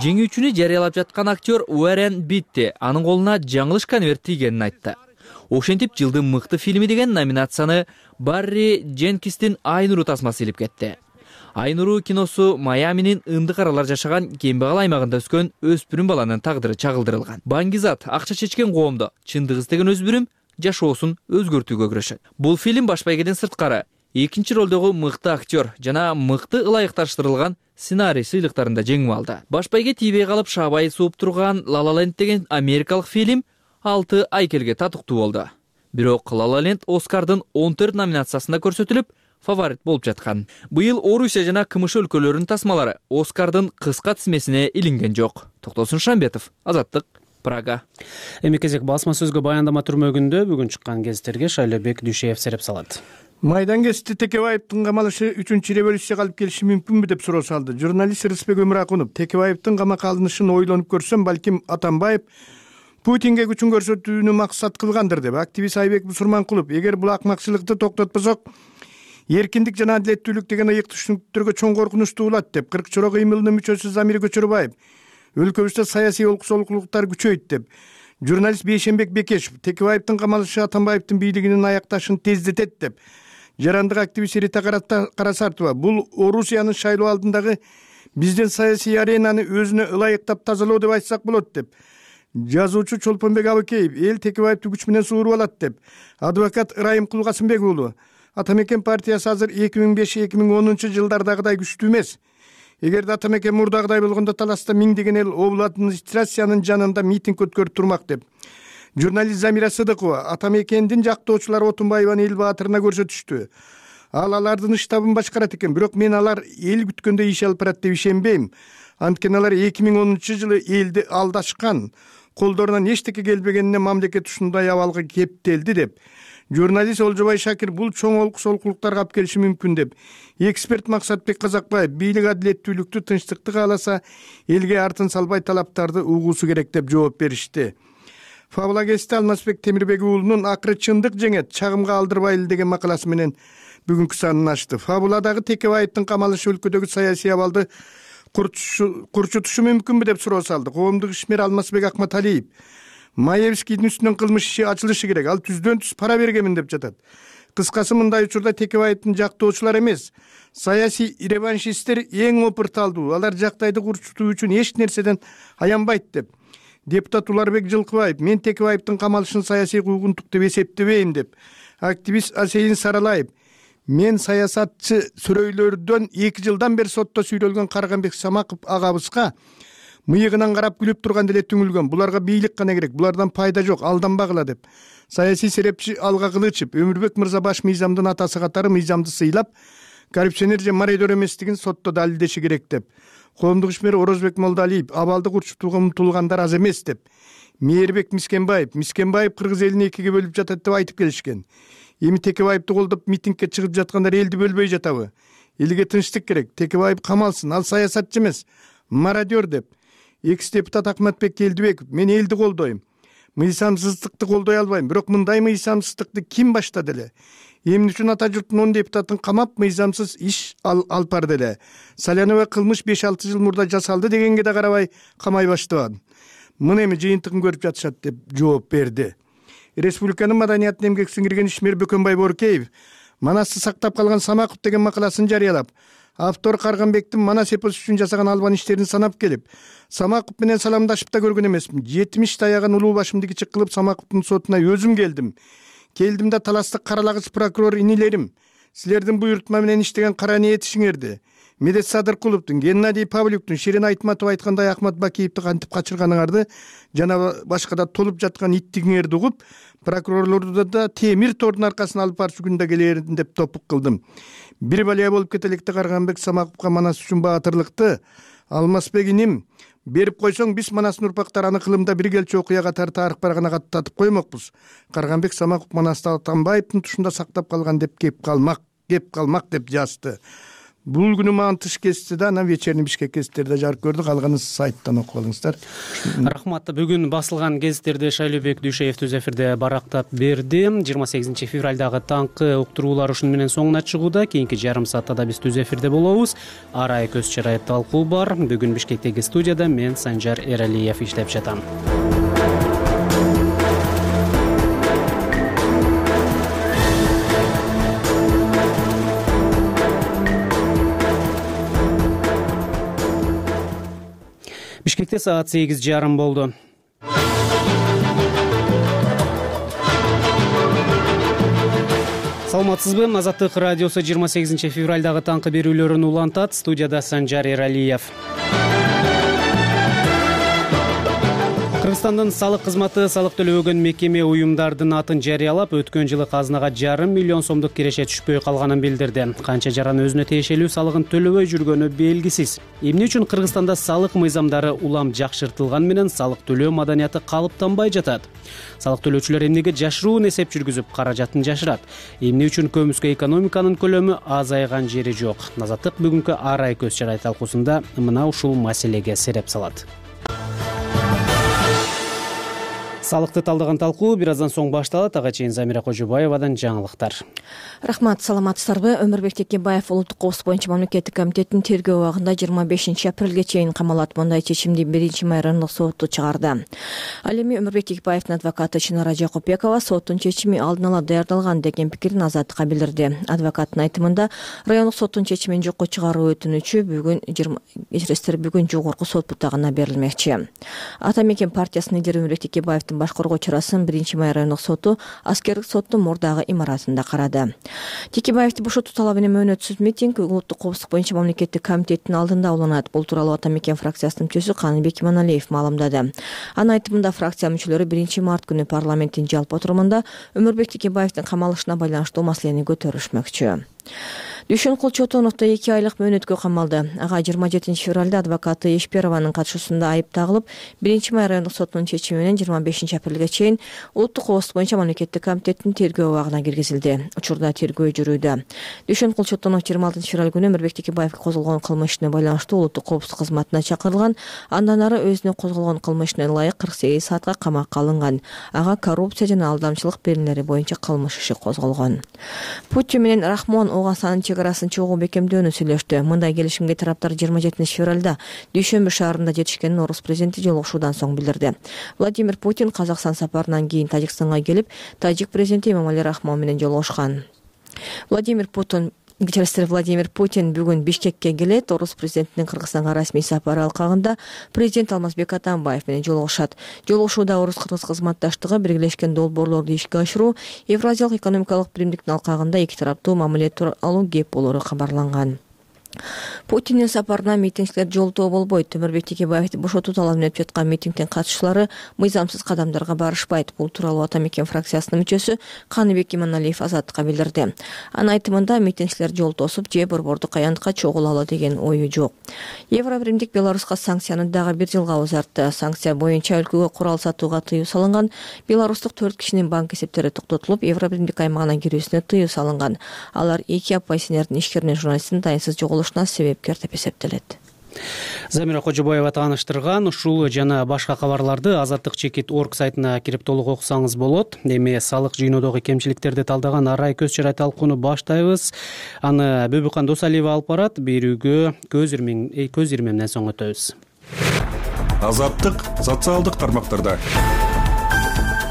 Жеңүүчүнү жарыялап жаткан актер Уоррен Битти анын колуна жаңылыш конверт тийгенин айтты. Ошентип жылдын мыкты фильми деген номинацияны Барри Дженкистин Айнуру тасмасы илип кетти. Айнуру киносу Майаминин ындык аралар жашаган кембагал аймагында өскөн өспүрүм баланын тагдыры чагылдырылган. Баңгизат акча чечкен коомдо чындык издеген өспүрүм жашоосун өзгөртүүгө күрөшөт. Бул фильм баш байгеден сырткары экинчи ролдогу мыкты актер жана мыкты ылайыкташтырылган сценарий сыйлыктарында жеңип алды. Баш байге тийбей калып шабай сууп турган La La Land деген америкалык фильм 6 айкелге татыктуу болду. Бирок La La Land Оскардын 14 номинациясында көрсөтүлүп, фаворит болуп жаткан. Быйыл Орусия жана КМШ өлкөлөрүнүн тасмалары Оскардын кыска тизмесине илинген жок. Токтосун Шамбетов, Азаттык, Прага. Эми кезек басма сөзгө баяндама түрмөгүндө бүгүн чыккан гезиттерге Шайлебек Дүйшеев сереп салат. Майдан гезити Текебаевдин камалышы 3-революцияга алып келиши мүмкүнбү деп суроо салды. Журналист Рысбек Өмүракунов Текебаевдин камакка алынышын ойлонуп көрсөм, балким Атамбаев Путинге күчүн көрсөтүүнү максат кылгандыр деп. Активист Айбек Бусурманкулов эгер бул акмакчылыкты токтотпосок, эркиндик жана адилеттүүлүк деген ыйык түшүнүктөргө чоң коркунучтуу болот деп. 40 чоро кыймылынын мүчөсү Замир Көчөрбаев өлкөбүздө саясий олкусоолуктар күчөйт деп. Журналист Бейшенбек Бекешев Текебаевдин камалышы Атамбаевдин бийлигинин аякташын тездетет деп. Жарандык активист Рита Карасартова бул Орусиянын шайлоо алдындагы биздин саясий аренаны өзүнө ылайыктап тазалоо деп айтсак болот деп. Жазуучу Чолпонбек Абыкеев эл Текебаевди күч менен сууруп алат деп. Адвокат Ырайым Кулгасымбек уулу Атамекен партиясы азыр 2005-2010 жылдардагыдай күчтүү эмес. Эгерде Атамекен мурдагыдай болгондо таласта миңдеген эл обул администрациянын жанында митинг өткөрүп турмак деп. Журналист Замира Сыдыкова Атамекендин жактоочулары Отунбаеваны эл баатырына көрсөтүштү. Алардын штабын башкарат экен, бирок мен алар эл күткөндөй иш алып барат деп ишенбейм. Анткени алар 2010 жылы элди алдашкан, колдорунан эчтеке келбегенине мамлекет ушундай абалга кептелди деп. Журналист Олжобай Шакир бул чоң олкусоолуктарга алып келиши мүмкүн деп. Эксперт Максатбек Казакбаев бийлик адилеттүүлүктү, тынчтыкты кааласа, элге артын салбай талаптарды угуусу керек деп жооп беришти. Фабула гезити Алмазбек Темирбек уулунун акыры чындык жеңет, чагымга алдырбайлы деген макаласы менен бүгүнкү санын ачты. Фабуладагы Текебаевдин камалышы өлкөдөгү саясий абалды курчутушу мүмкүнбү деп суроо салды. Коомдук ишмер Алмазбек Акматалиев Маевскийдин үстүнөн кылмыш иши ачылышы керек. Ал түздөн түз пара бергенмин деп жатат. Кыскасы мындай учурда Текебаевдин жактоочулары эмес, саясий реваншисттер эң опурталдуу. Алар жактайды курчутуу үчүн эч нерседен аянбайт деп. Депутат Уларбек Жылкыбаев мен Текебаевдин камалышын саясий куугунтук деп эсептебейм деп. Активист Асейин Саралаев мен саясатчы сүрөйлөрдөн 2 жылдан бери сотто сүйлөлгөн Карганбек Самаков агабызга мыйыгынан карап күлүп турган деле түңүлгөн. Буларга бийлик гана керек, булардан пайда жок, алданбагыла деп. Саясий серепчи Алга Кылычев Өмүрбек мырза баш мыйзамдын атасы катары мыйзамды сыйлап, коррупционер же мародер эместигин сотто далилдеши керек деп. Коомдук ишмер Орозбек Молдалиев абалды курчутууга умтулгандар аз эмес деп. Мээрбек Мискенбаев кыргыз элин экиге бөлүп жатат деп айтып келишкен. Эми Текебаевди колдоп митингге чыгып жаткандар элди бөлбөй жатабы? Элге тынчтык керек. Текебаев камалсын, ал саясатчы эмес, мародер деп. Экс-депутат Акматбек Келдибеков мен элди колдойм. Мыйзамсыздыкты колдой албайм, бирок мындай мыйзамсыздыкты ким баштады эле? Эмне үчүн ата журттун 10 депутатын камап мыйзамсыз иш алып барды эле? Салянова кылмыш 5-6 жыл мурда жасалды дегенге да карабай камай баштаган. Мына эми жыйынтыгын көрүп жатышат деп жооп берди. Республиканын маданиятына эмгек сиңирген ишмер Бөкөнбай Боркеев Манасты сактап калган Самаков деген макаласын жарыялап, автор Карганбектин Манас эпосу үчүн жасаган албан иштерин санап келип, Самаков менен саламдашып да көргөн эмесмин. 70 таяган улуу башымды кичик кылып Самаковдун сотуна өзүм келдим. Келдим да таластык каралагыч прокурор инилерим, силердин буйрутма менен иштеген кара ниетишиңерди. Медет Садыркуловдун, Геннадий Павлюктун, Ширин Айтматов айткандай Ахмат Бакиевди кантип качырганыңарды жана башка да толуп жаткан иттигиңерди угуп, прокурорлорду да темир тордун аркасына алып барчу күндө келерин деп топук кылдым. бир балия болуп кете электе Карганбек Самаковго Манас үчүн баатырлыкты Алмазбек иним берип койсоң, биз Манастын урпактары аны кылымда бир келчү окуя катары тарых барагына каттатып коймокпуз. Карганбек Самаков Манасты Атамбаевдин тушунда сактап калган деп кеп калмак деп жазды. Бул күнү мага тыш кести да, анан вечерний Бишкек гезиттерде жарык көрдү. Калганын сайттан окуп алыңыздар. Рахмат. Бүгүн басылган гезиттерди Шайлообек Дүйшеев өз эфирде барактап берди. 28 февралдагы таңкы уктуруулар ушуну менен соңуна чыгууда. Кийинки жарым саатта да биз өз эфирде болобуз. Арай көз чарай талкуу бар. Бүгүн Бишкектеги студияда мен Санжар Эралиев иштеп жатам. Бишкекте саат 8:30 болду. Саламатсызбы? Азаттык радиосу 28 февралдагы таңкы берүүлөрүн улантат. Студияда Санжар Эралиев. Кыргызстандын салык кызматы салык төлөбөгөн мекеме уюмдардын атын жарыялап, өткөн жылы казынага 1,5 миллион сомдук киреше түшпөй калганын билдирди. Канча жаран өзүнө тиешелүү салыгын төлөбөй жүргөнү белгисиз. Эмне үчүн Кыргызстанда салык мыйзамдары улам жакшыртылган менен салык төлөө маданияты калыптанбай жатат? Салык төлөөчүлөр эмнеге жашыруун эсеп жүргүзүп, каражатын жашырат? Эмне үчүн көмүскө экономиканын көлөмү азайган жери жок? Азаттык бүгүнкү Арай көз чарай талкуусунда мына ушул маселеге сереп салат. Салыкты талдаган талкуу бир аздан соң башталат. Ага чейин Замира Кожобаевадан жаңылыктар. Рахмат, саламатсыздарбы? Өмүрбек Текебаев Улуттук коопсуздук боюнча мамлекеттик комитеттин тергөө убагында 25 апрелге чейин камалат. Мындай чечимди 1-май райондук соту чыгарды. Ал эми Өмүрбек Текебаевдин адвокаты Чынара Жакупбекова соттун чечими алдын ала даярдалган деген пикирин Азаттыкка билдирди. Адвокаттын айтымында райондук соттун чечимин жокко чыгаруу өтүнүчү бүгүн жогорку сот бутагына берилмекчи. Ата мекен партиясынын лидери Өмүрбек Текебаевдин башкаргуу чарасын 1-май райондук соту аскердик соттун мурдагы имаратында карады. Текебаевди бошотуу талабы менен мөөнөтсүз митинг Улуттук коопсуздук боюнча мамлекеттик комитеттин алдында уланат. Бул тууралуу Ата мекен фракциясынын мүчөсү Каныбек Иманалиев маалымдады. Анын айтымында фракция мүчөлөрү 1-март күнү парламенттин жалпы отурумунда Өмүрбек Текебаевдин камалышына байланыштуу маселени көтөрүшмөкчү. Дүйшөнкул Чотонов да 2 айлык мөөнөткө камалды. Ага 27 февралда адвокаты Эшперованын катышуусунда айып тагылып, 1-май райондук сотунун чечими менен 25 апрелге чейин Улуттук коопсуздук боюнча мамлекеттик комитеттин тергөө убагына киргизилди. Учурда тергөө жүрүүдө. Дүйшөнкул Чотонов 26 февраль күнү Өмүрбек Текебаевге козголгон кылмыш ишине байланыштуу Улуттук коопсуздук кызматына чакырылган. Андан ары өзүнө козголгон кылмыш ишине ылайык 48 саатка камакка алынган. Ага коррупция жана алдамчылык берүүлери боюнча кылмыш иши козголгон. Путин менен Рахмон Огаасанын чегарасын чогуу бекемдөөнү сүйлөштү. Мындай келишимге тараптар 27 февралда Дүйшөмбү шаарында жетишкенин орус президенти жолугушуудан соң билдирди. Владимир Путин Казакстан сапарынан кийин Тажикстанга келип, тажик президенти Эмомали Рахмон менен жолугушкан. Владимир Путин бүгүн Бишкекке келет. Орус президентинин Кыргызстанга расмий сапары алкагында президент Алмазбек Атамбаев менен жолугушат. Жолугушууда орус-кыргыз кызматташтыгы, биргелешкен долбоорлорду ишке ашыруу, Евразиялык экономикалык биримдиктин алкагында эки тараптуу мамиле тууралуу кеп болору кабарланган. Путиндин сапарына митингчилер жолтоо болбойт. Өмүрбек Текебаевди бошотуу талабын өтүп жаткан митингдин катышчылары мыйзамсыз кадамдарга барышпайт. Бул тууралуу Ата мекен фракциясынын мүчөсү Каныбек Иманалиев Азаттыкка билдирди. Анын айтымында митингчилер жол тосуп же борбордук аянтка чогулалы деген ою жок. Евробиримдик Беларуска санкцияны дагы 1 жылга узартты. Санкция боюнча өлкөгө курал сатууга тыюу салынган. Беларустук 4 кишинин банк эсептери токтотулуп, Евробиримдик аймагына кирүүсүнө тыюу салынган. Алар 2 оппозиционердин ишкеринин журналисттин дайынсыз себепкер деп эсептелет. Замира Кожобаева тааныштырган. Ушул жана башка кабарларды Азаттык чекит орг сайтына кирип толук окусаңыз болот. Эми салык жыйноодогу кемчиликтерди талдаган Арай көз чарай талкууну баштайбыз. Аны Бөбүкан Досалиева алып барат. Берүүгө көз ирмемден соң өтөбүз. Азаттык социалдык тармактарда.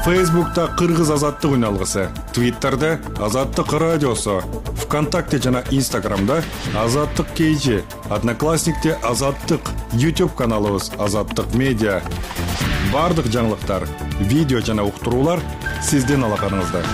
Фейсбукта Кыргыз азаттык үналгысы, Твиттерде Азаттык радиосу, ВКонтакте жана Инстаграмда Азаттык KG, Одноклассникте Азаттык, YouTube каналыбыз Азаттык медиа. Бардык жаңылыктар, видео жана уктуруулар сиздин алаканыңызда.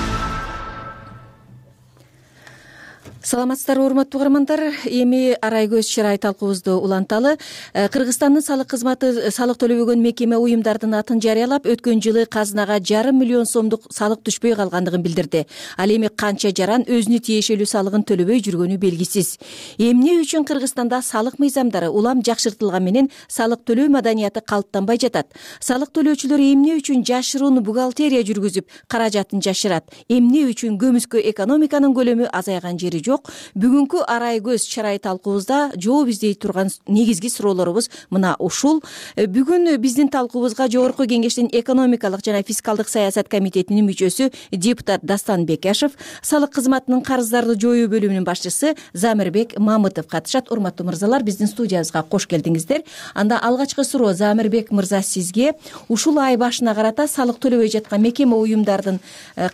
саламатсыздарбы урматтуу угармандар, эми арай көз чырай талкуубузду уланталы. Кыргызстандын салык кызматы салык төлөбөгөн мекеме уюмдардын атын жарыялап, өткөн жылы казынага 5,5 миллион сомдук салык түшпөй калгандыгын билдирди. Ал эми канча жаран өзүнө тиешелүү салыгын төлөбөй жүргөнү белгисиз. Эмне үчүн Кыргызстанда салык мыйзамдары улам жакшыртылган менен салык төлөө маданияты калыптанбай жатат? Салык төлөөчүлөр эмне үчүн жашыруун бухгалтерия жүргүзүп каражатын жашырат? Эмне үчүн көмүскө экономиканын көлөмү азайган жери жок? Бүгүнкү арай көз чырай талкуубузда жооп издей турган негизги суроолорубуз мына ушул. Бүгүн биздин талкуубузга Жогорку Кеңештин экономикалык жана фискалдык саясат комитетинин мүчөсү депутат Дастан Бекешев, салык кызматынын карыздарды жоюу бөлүмүнүн башчысы Замирбек Мамытов катышат. Урматтуу мырзалар, биздин студиябызга кош келдиңиздер. Анда алгачкы суроо Замирбек мырза сизге. Ушул ай башына карата салык төлөбөй жаткан мекеме уюмдардын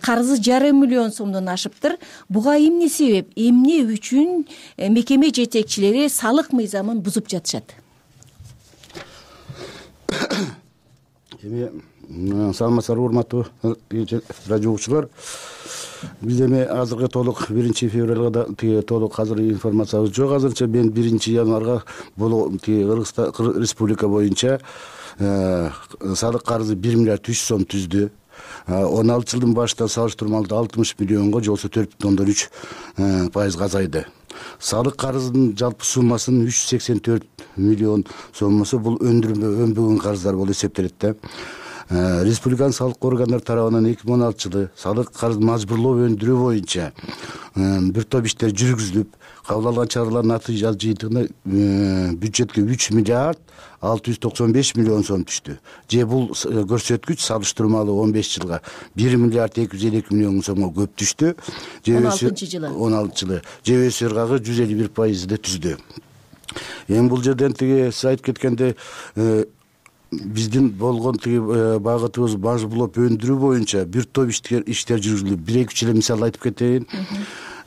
карызы 5,5 миллион сомдон ашыптыр. Буга эмне себеп? Эмне үчүн мекеме жетекчилери салык мыйзамын бузуп жатышат? Эми саламатсыздарбы урматтуу радио угуучулар. Биз эми азыркы толук 1 февралга толук азыр информациябыз жок. Азырча мен 1 январга бул Кыргызстан республика боюнча салык карызы 1 миллиард 300 сом түздү. 16 жылдын башында салыштырмалуу 60 миллионго же болбосо 4,3% азайды. Салык карызынын жалпы суммасынын 384 миллион соммусу бул өнбөгөн карыздар болуп эсептелет да. Республиканын салык органдары тарабынан 2016 жылы салык карыз мажбурлоо өндүрүү боюнча бир топ иштер жүргүзүлүп, кабыл алган чаралардын натыйжалуу жыйынтыгында бюджетке 3 миллиард 695 миллион сом түштү. Же бул көрсөткүч салыштырмалуу 15 жылга 1 миллиард 252 миллион сомго көп түштү. 16 жылы. Же өсөр ыргагы 151% түздү. Эми бул жерден сиз айтып кеткенде биздин болгон багытыбыз мажбурлоп өндүрүү боюнча бир топ иштер жүргүзүлүп, 1-2 эле мисал айтып кетейин.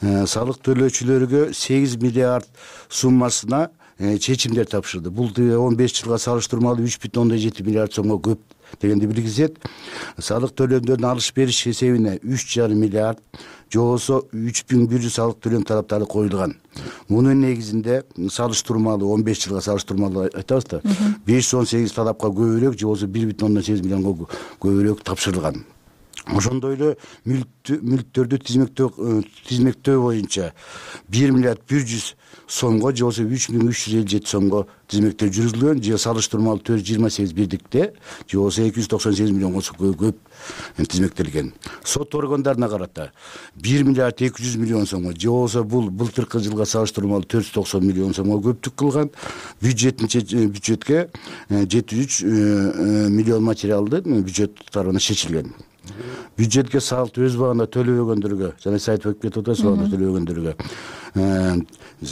Салык төлөөчүлөргө 8 миллиард суммасына чечимдер тапшырды. Бул 15 жылга салыштырмалуу 3,7 миллиард сомго көп дегенди билгизет. Салык төлөмдөрүнүн алыш бериш эсебине 3,5 миллиард, же болбосо 3100 салык төлөм талаптары коюлган. Мунун негизинде салыштырмалуу 15 жылга салыштырмалуу айтабыз да, 518 талапка көбүрөөк, же болбосо 1,8 миллионго көбүрөөк тапшырылган. Ошондой эле мүлктөрдү тизмектөө боюнча 1 миллиард 100 сомго, же болбосо 3357 сомго тизмектөө жүргүзүлгөн, же салыштырмалуу 428 бирдикте, же болбосо 298 миллионго көп тизмектелген. Сот органдарына карата 1 миллиард 200 миллион сомго, же болбосо бул былтыркы жылга салыштырмалуу 490 миллион сомго көптүк кылган. Бюджетке 73 миллион материалды бюджет тарабынан чечилген. Бюджетке салык өз убагында төлөбөгөндөргө, жана сиз айтып кетип атасыз, төлөбөгөндөргө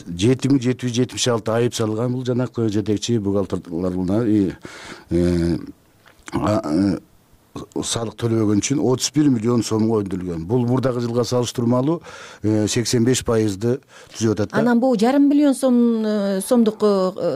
7776 айып салган. Бул жанагы жетекчи бухгалтерларына салык төлөбөгөн үчүн 31 миллион сомго өндүрүлгөн. Бул мурдагы жылга салыштырмалуу 85% түзүп атат. Анан бул 5,5 миллион сомдук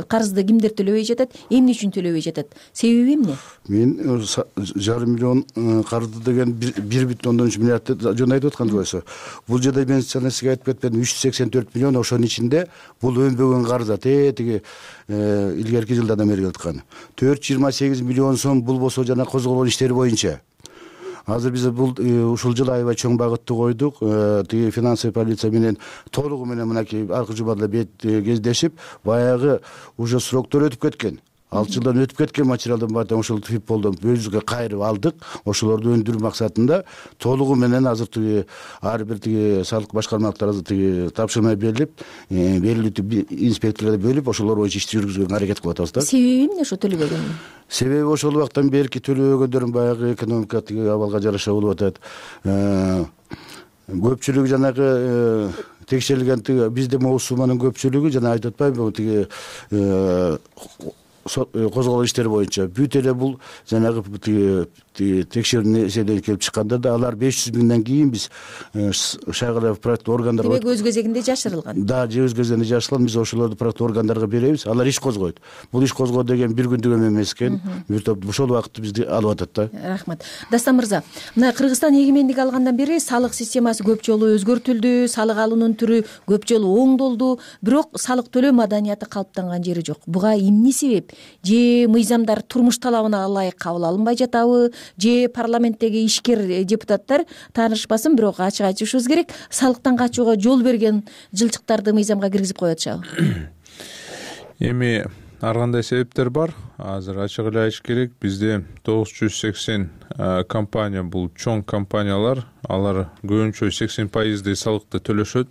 карызды кимдер төлөбөй жатат? Эмне үчүн төлөбөй жатат? Себеби эмне? Мен 5,5 миллион карызды деген 1,3 миллиардты жөн айтып аткан болсо, бул жерде мен сизге айтып кеткен 384 миллион ошонун ичинде бул өнбөгөн карыздар тиги илгерки жылдардан бери келаткан. 428 миллион сом бул болсо жана козголгон иштер боюнча. Азыр биз бул ушул жылы аябай чоң багытты койдук. Тиги финансовый полиция менен толугу менен мынакей аркы жумада кездешип, баягы уже сроктор өтүп кеткен. 6 жылдан өтүп кеткен материалдын баардыгын ошол ФИПОлдон өзүбүзгө кайрып алдык. Ошолорду өндүрүү максатында толугу менен азыр ар бир салык башкармалыктар азыр тапшырма берилип, берилип инспекторлорду бөлүп, ошолор боюнча ишти жүргүзгөнгө аракет кылып атабыз да. Себеби эмне ошо төлөбөгөн? Себеби ошол убактан берки төлөбөгөндөрдүн баягы экономика абалга жараша болуп атат. Көпчүлүгү жанагы текшерилген бизде могу сумманын көпчүлүгү жана айтып атпайбы, козголгон иштер боюнча бүт эле бул жанагы текшерүү эседен келип чыкканда да алар 500 миңден кийин биз шайлоо проекттик органдарга демек өз кезегинде жашырылган да же өз кезегинде жашырылган. Биз ошолорду проекттик органдарга беребиз, алар иш козгойт. Бул иш козгоо деген бир күндүк эме эмес экен. Бир топ ошол убакытты бизди алып атат да. Рахмат. Дастан мырза, мына Кыргызстан эгемендик алгандан бери салык системасы көп жолу өзгөртүлдү, салык алуунун түрү көп жолу оңдолду, бирок салык төлөө маданияты калыптанган жери жок. Буга эмне себеп? Же мыйзамдар турмуш талабына ылайык кабыл алынбай жатабы, же парламенттеги ишкер депутаттар таанышпасын, бирок ачык айтышыбыз керек, салыктан качууга жол берген жылчыктарды мыйзамга киргизип коюп атышабы? Эми ар кандай себептер бар. Азыр ачык эле айтыш керек, бизде 980 компания, бул чоң компаниялар, алар көбүнчө 80% салыкты төлөшөт.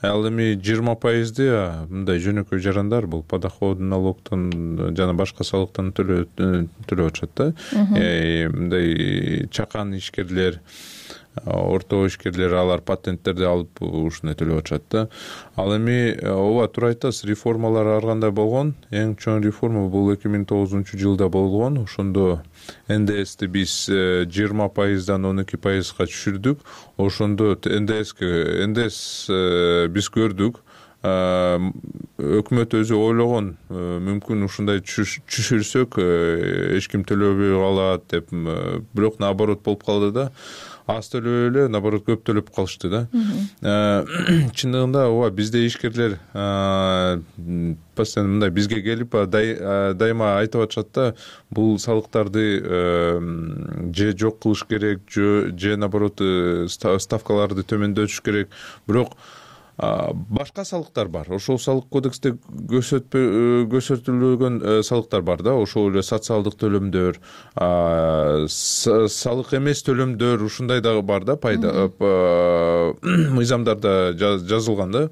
Ал эми 20% мындай жөнөкөй жарандар, бул подоходный налогтон жана башка салыктан төлөп атышат да. Мындай чакан ишкерлер, орто ишкерлер, алар патенттерди алып ушуну төлөп атышат да. Ал эми ооба туура айтасыз, реформалар ар кандай болгон. Эң чоң реформа бул 2009-жылда болгон. Ошондо НДСти биз 20%дан 12%га түшүрдүк. Ошондо НДС биз көрдүк. Өкмөт өзү ойлогон, мүмкүн ушундай түшүрсөк эч ким төлөбөй калат деп, бирок наоборот болуп калды да. Аз төлөбөй эле, наоборот көп төлөп калышты да. Чындыгында ооба бизде ишкерлер постоянно мындай бизге келип дайыма айтып атышат да, бул салыктарды же жок кылыш керек, же наоборот ставкаларды төмөндөтүш керек. Бирок башка салыктар бар. Ошол салык кодексте көрсөтүлгөн салыктар бар да. Ошол эле социалдык төлөмдөр, салык эмес төлөмдөр, ушундай дагы бар да, пайда мыйзамдарда жазылган да.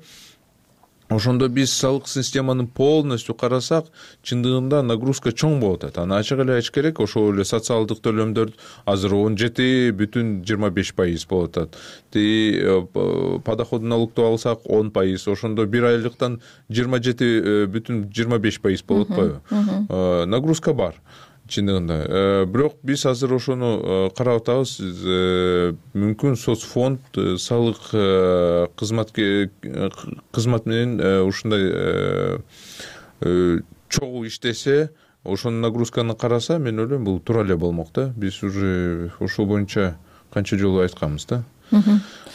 Ошондо биз салык системаны полностью карасак, чындыгында нагрузка чоң болуп атат. Аны ачык эле айтыш керек, ошол эле социалдык төлөмдөр азыр 17,25% болуп атат. Подоходный налогду алсак 10%, ошондо бир айлыктан 27,25% болуп атпайбы? Нагрузка бар. Чындыгында. Бирок биз азыр ошону карап атабыз. Мүмкүн соцфонд салык кызмат менен ушундай чогуу иштесе, ошонун нагрузканы караса, мен ойлойм бул туура эле болмок да. Биз уже ошол боюнча канча жолу айтканбыз да.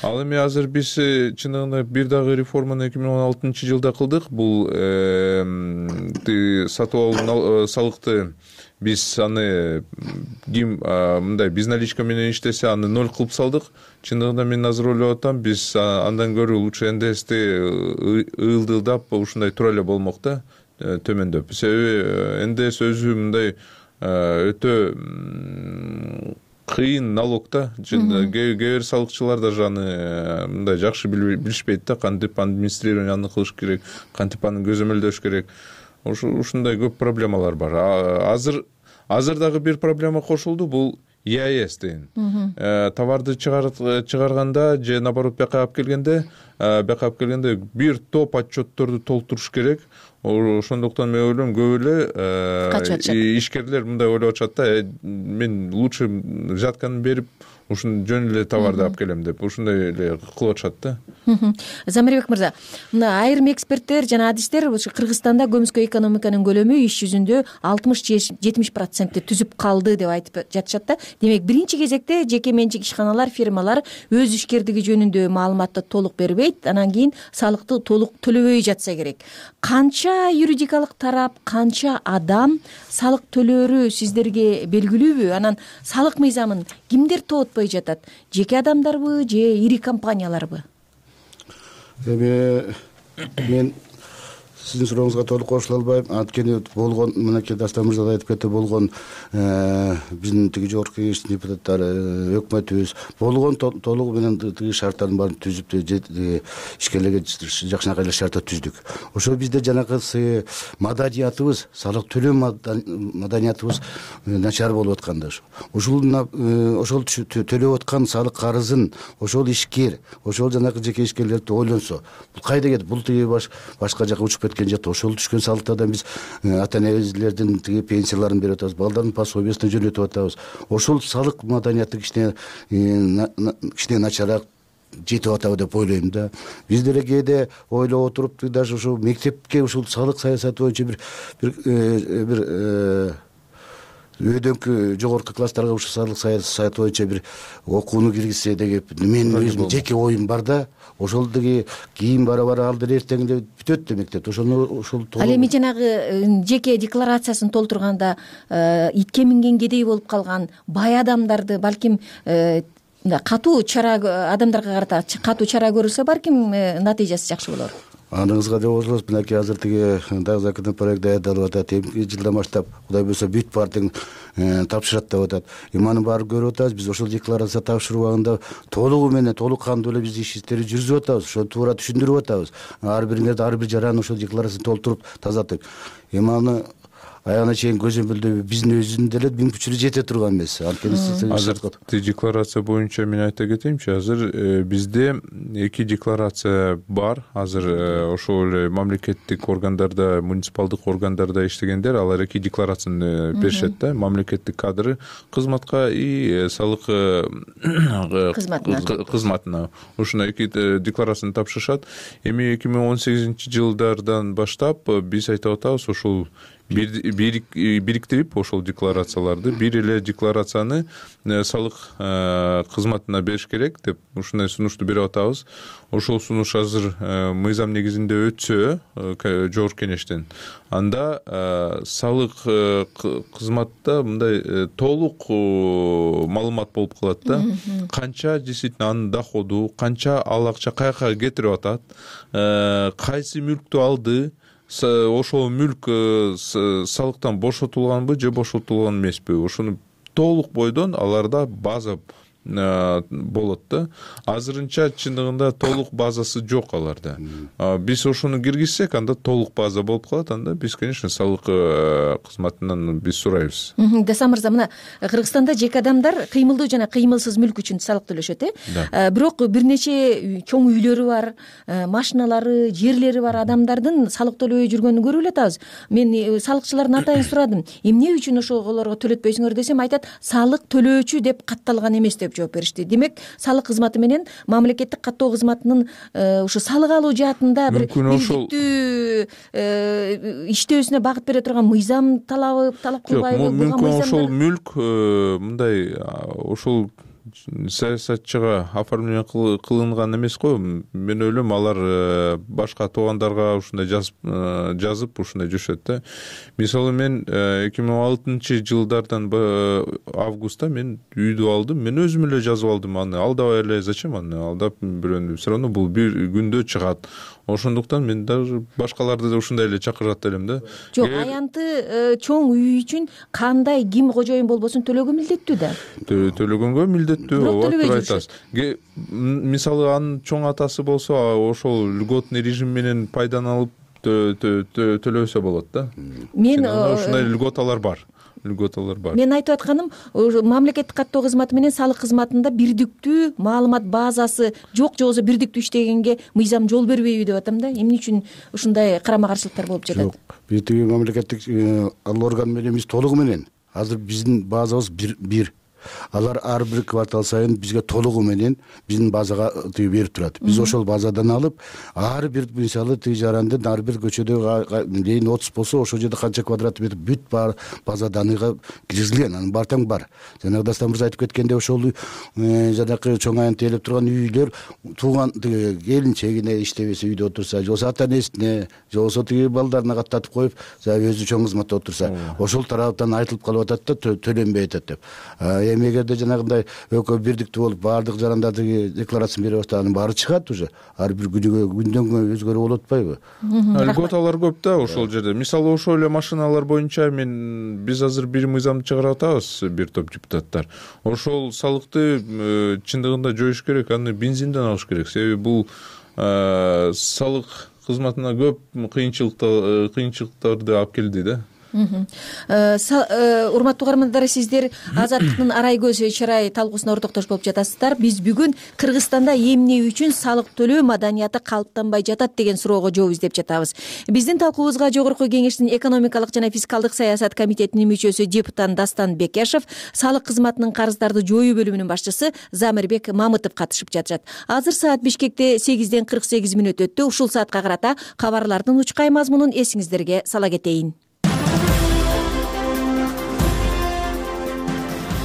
Ал эми азыр биз чындыгында бир дагы реформаны 2016-жылда кылдык. Бул сатып алуу салыкты биз аны ким мындай безналичка менен иштесе, аны 0 кылып салдык. Чындыгында мен азыр ойлоп атам, биз андан көрө лучше НДСти ылдылдап ушундай туура эле болмок да, төмөндөп. Себеби НДС өзү мындай өтө кыйын налог да. Кээ бир салыкчылар даже аны мындай жакшы билишпейт да, кантип администрированияны кылыш керек, кантип аны көзөмөлдөш керек. Ушундай көп проблемалар бар. Азыр дагы бир проблема кошулду, бул ЕАЭС деген. Товарды чыгарганда же наоборот бияка алып келгенде бир топ отчетторду толтуруш керек. Ошондуктан мен ойлойм, көп эле ишкерлер мындай ойлоп атышат да, мен лучше взятканы берип ушун жөн эле товарды алып келем деп, ушундай эле кылып атышат да. Замирбек мырза, мына айрым эксперттер жана адистер Кыргызстанда көмүскө экономиканын көлөмү иш жүзүндө 60-70% түзүп калды деп айтып жатышат да. Демек, биринчи кезекте жеке менчик ишканалар, фирмалар өз ишкердиги жөнүндө маалыматты толук бербейт, анан кийин салыкты толук төлөбөй жатса керек. Канча юридикалык тарап, канча адам салык төлөөрү сиздерге белгилүүбү? Анан салык мыйзамын кимдер тоотпой жатат? Жеке адамдарбы же ири компанияларбы? Мен сиздин сурооңузга толук кошула албайм. Анткени болгон, мынакей Дастан мырза да айтып кетти, болгон биздин тиги жогорку кеңештин депутаттары, өкмөтүбүз болгон толугу менен тиги шарттардын баарын түзүп, ишкерлерге жакшынакай эле шарттар түздүк. Ошо бизде жанакы маданиятыбыз, салык төлөө маданиятыбыз начар болуп атканда ошол төлөп аткан салык карызын ошол ишкер, ошол жанакы жеке ишкерлерди ойлонсо, бул кайда кетти? Бул тиги башка жака учуп кетип өткөн жакта ошол түшкөн салыктардан биз ата энелердин тиги пенсияларын берип атабыз, балдардын пособиясын жөнөтүп атабыз. Ошол салык маданияты кичине начарак жетип атабы деп ойлойм да. Биз деле кээде ойлоп отуруп, даже ушул мектепке ушул салык саясаты боюнча бир өйдөнкү жогорку класстарга ушул салык саясаты боюнча бир окууну киргизсе деген менин өзүмдүн жеке оюм бар да. Ошол деги кийин бара ал деле эртең эле бүтөт да мектепте. Ошол ал эми жанагы жеке декларациясын толтурганда итке минген кедей болуп калган бай адамдарды балким катуу чара, адамдарга карата катуу чара көрүлсө балким натыйжасы жакшы болор. Аныңызга деп отурабыз. Мынакей азыр тиги дагы законопроект даярдалып атат. Эмки жылдан баштап Кудай буйрса бүт партияң тапшырат деп атат. Аны баары көрүп атабыз. Биз ошол декларация тапшыруу убагында толугу менен, толук кандуу эле биз иштерди жүргүзүп атабыз. Ошону туура түшүндүрүп атабыз. Ар бириңерди ар бир жараны ошол декларацияны толтуруп тазартып. Аны аягына чейин көзөмөлдөбү биздин өзүнүн деле мүмкүнчүлүгү жете турган эмес. Азыр декларация боюнча мен айта кетейинчи, азыр бизде 2 декларация бар. Азыр ошол эле мамлекеттик органдарда, муниципалдык органдарда иштегендер алар 2 декларацияны беришет да. Мамлекеттик кадр кызматка и салык кызматына ушундай 2 декларацияны тапшырышат. Эми 2018-жылдардан баштап биз айтып атабыз, ошол бириктирип ошол декларацияларды бир эле декларацияны салык кызматына бериш керек деп ушундай сунушту берип атабыз. Ошол сунуш азыр мыйзам негизинде өтсө жогорку кеңештен, анда салык кызматта мындай толук маалымат болуп калат да. Канча действительно анын доходу, канча ал акча каяка кетирип атат, кайсы мүлктү алды, ошол мүлк салыктан бошотулганбы же бошотулган эмеспи, ошону толук бойдон аларда база болот да. Азырынча чындыгында толук базасы жок аларда. Биз ошону киргизсек, анда толук база болуп калат. Анда биз, конечно, салык кызматынан биз сурайбыз. Дасан мырза, мына Кыргызстанда жеке адамдар кыймылдуу жана кыймылсыз мүлк үчүн салык төлөшөт, бирок бир нече чоң үйлөрү бар, машиналары, жерлери бар адамдардын салык төлөбөй жүргөнүн көрүп эле атабыз. Мен салыкчылардын атайын сурадым. Эмне үчүн ошолорго төлөтпөйсүңөр десем, айтат, салык төлөөчү деп катталган эмес деп жооп беришти. Демек, салык кызматы менен мамлекеттик каттоо кызматынын ушу салык алуу жаатында бир бирдиктүү иштөөсүнө багыт бере турган мыйзам талап кылбайбы? Мүмкүн ошол мүлк мындай ошол саясатчыга оформление кылынган эмес го. Мен ойлойм, алар башка туугандарга ушундай жазып ушундай жүрүшөт да. Мисалы, мен 2006-жылдардан августта мен үйдү алдым. Мен өзүм эле жазып алдым аны. Алдабай эле зачем аны алдап бирөөнү? Все равно бул бир күндө чыгат. Ошондуктан мен даже башкаларды да ушундай эле чакырат элем да. Жок, аянты чоң үй үчүн кандай ким кожоюн болбосун төлөгө милдеттүү да. Төлөгөнгө милдеттүү, ооба, айтасыз. Мисалы, анын чоң атасы болсо, ошол льготный режим менен пайдаланып төлөсө болот да. Мен ушундай льготалар бар. Мен айтып атканым, мамлекеттик каттоо кызматы менен салык кызматында бирдиктүү маалымат базасы жок, же болбосо бирдиктүү иштегенге мыйзам жол бербейби деп атам да. Эмне үчүн ушундай карама каршылыктар болуп жатат? Жок, бирдиги мамлекеттик орган менен биз толугу менен, азыр биздин базабыз бир. Алар ар бир квартал сайын бизге толугу менен биздин базага берип турат. Биз ошол базадан алып, ар бир мисалы тиги жарандын ар бир көчөдө дейин 30 болсо, ошол жерде канча квадрат метр бүт бар база даныйга киргизилген, анын бартаң бар. Жанагы Дастан мырза айтып кеткендей, ошол жанакы чоң айын тейлеп турган үйлөр тууган тиги келинчегине иштебесе, үйдө отурса, же болбосо ата энесине, же болбосо тиги балдарына каттатып коюп, өзү чоң кызматта отурса, ошол тараптан айтылып калып атат да, төлөнбөй атат деп. Эми эгерде жанагындай экөө бирдиктүү болуп баардык жарандардын декларациясын берип атса, анын баары чыгат уже. Ар бир күндөн күнгө өзгөрүп болуп атпайбы? Льготалар көп да ошол жерде. Мисалы, ошол эле машиналар боюнча биз азыр бир мыйзамды чыгарып атабыз, бир топ депутаттар. Ошол салыкты чындыгында жоюш керек, аны бензинден алыш керек. Себеби бул салык кызматына көп кыйынчылыктарды алып келди да. урматтуу угармандар, сиздер Азаттыктын арай көз чырай талкуусуна ортоктош болуп жатасыздар. Биз бүгүн Кыргызстанда эмне үчүн салык төлөө маданияты калыптанбай жатат деген суроого жооп издеп жатабыз. Биздин талкуубузга Жогорку Кеңештин экономикалык жана фискалдык саясат комитетинин мүчөсү депутат Дастан Бекешев, салык кызматынын карыздарды жоюу бөлүмүнүн башчысы Замирбек Мамытов катышып жатышат. Азыр саат Бишкекте 8:48 өттү. Ушул саатка карата кабарлардын учкай мазмунун эсиңиздерге сала кетейин.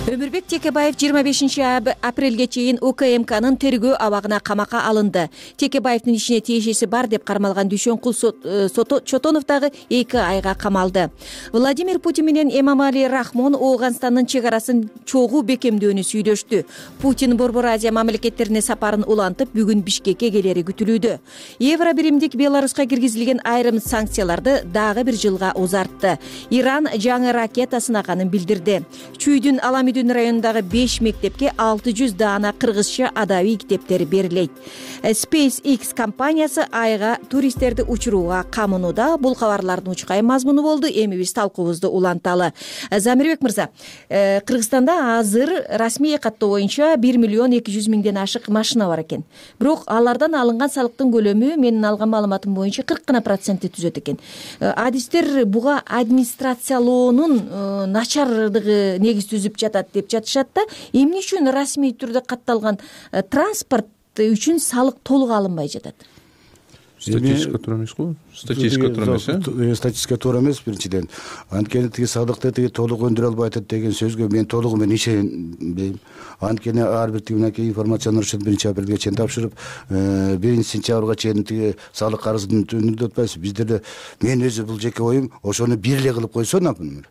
Өмүрбек Текебаев 25-апрелге чейин УКМКнын тергөө абагына камакка алынды. Текебаевдин ишине тиешеси бар деп кармалган Дүйшөнкул Чотонов дагы 2 айга камалды. Владимир Путин менен Эмомали Рахмон Ооганстандын чек арасын чогуу бекемдөөнү сүйлөштү. Путин Борбор Азия мамлекеттерине сапарын улантып, бүгүн Бишкекке келери күтүлүүдө. Евро биримдик Беларуска киргизилген айрым санкцияларды дагы бир жылга узартты. Иран жаңы ракета сынаганын билдирди. Чүйдүн Аламидүн районундагы 5 мектепке 600 даана кыргызча адабий китептер берилет. SpaceX компаниясы айга туристтерди учурууга камынууда. Бул кабарлардын учкай мазмуну болду. Эми биз талкуубузду уланталы. Замирбек мырза, Кыргызстанда азыр расмий каттоо боюнча 1.200.000 ашык машина бар экен. Бирок алардан алынган салыктын көлөмү менин алган маалыматым боюнча 40% түзөт экен. Адистер буга администрациялоонун начардыгы негиз түзүп жатат деп жатышат да. Эмне үчүн расмий түрдө катталган транспорт үчүн салык толук алынбай жатат? Статистика туура эмес го? Статистика туура эмес, статистика туура эмес биринчиден. Анткени тиги салыкты толук өндүрө албай атат деген сөзгө мен толугу менен ишенбейм. Анткени ар бир тигинеки информацияны 1-апрелге чейин тапшырып, 1-сентябрга чейин тиги салык карызын өндүрүп атпайбыз. Биздерде мен өзү бул жеке оюм, ошону бир эле кылып койсо, например.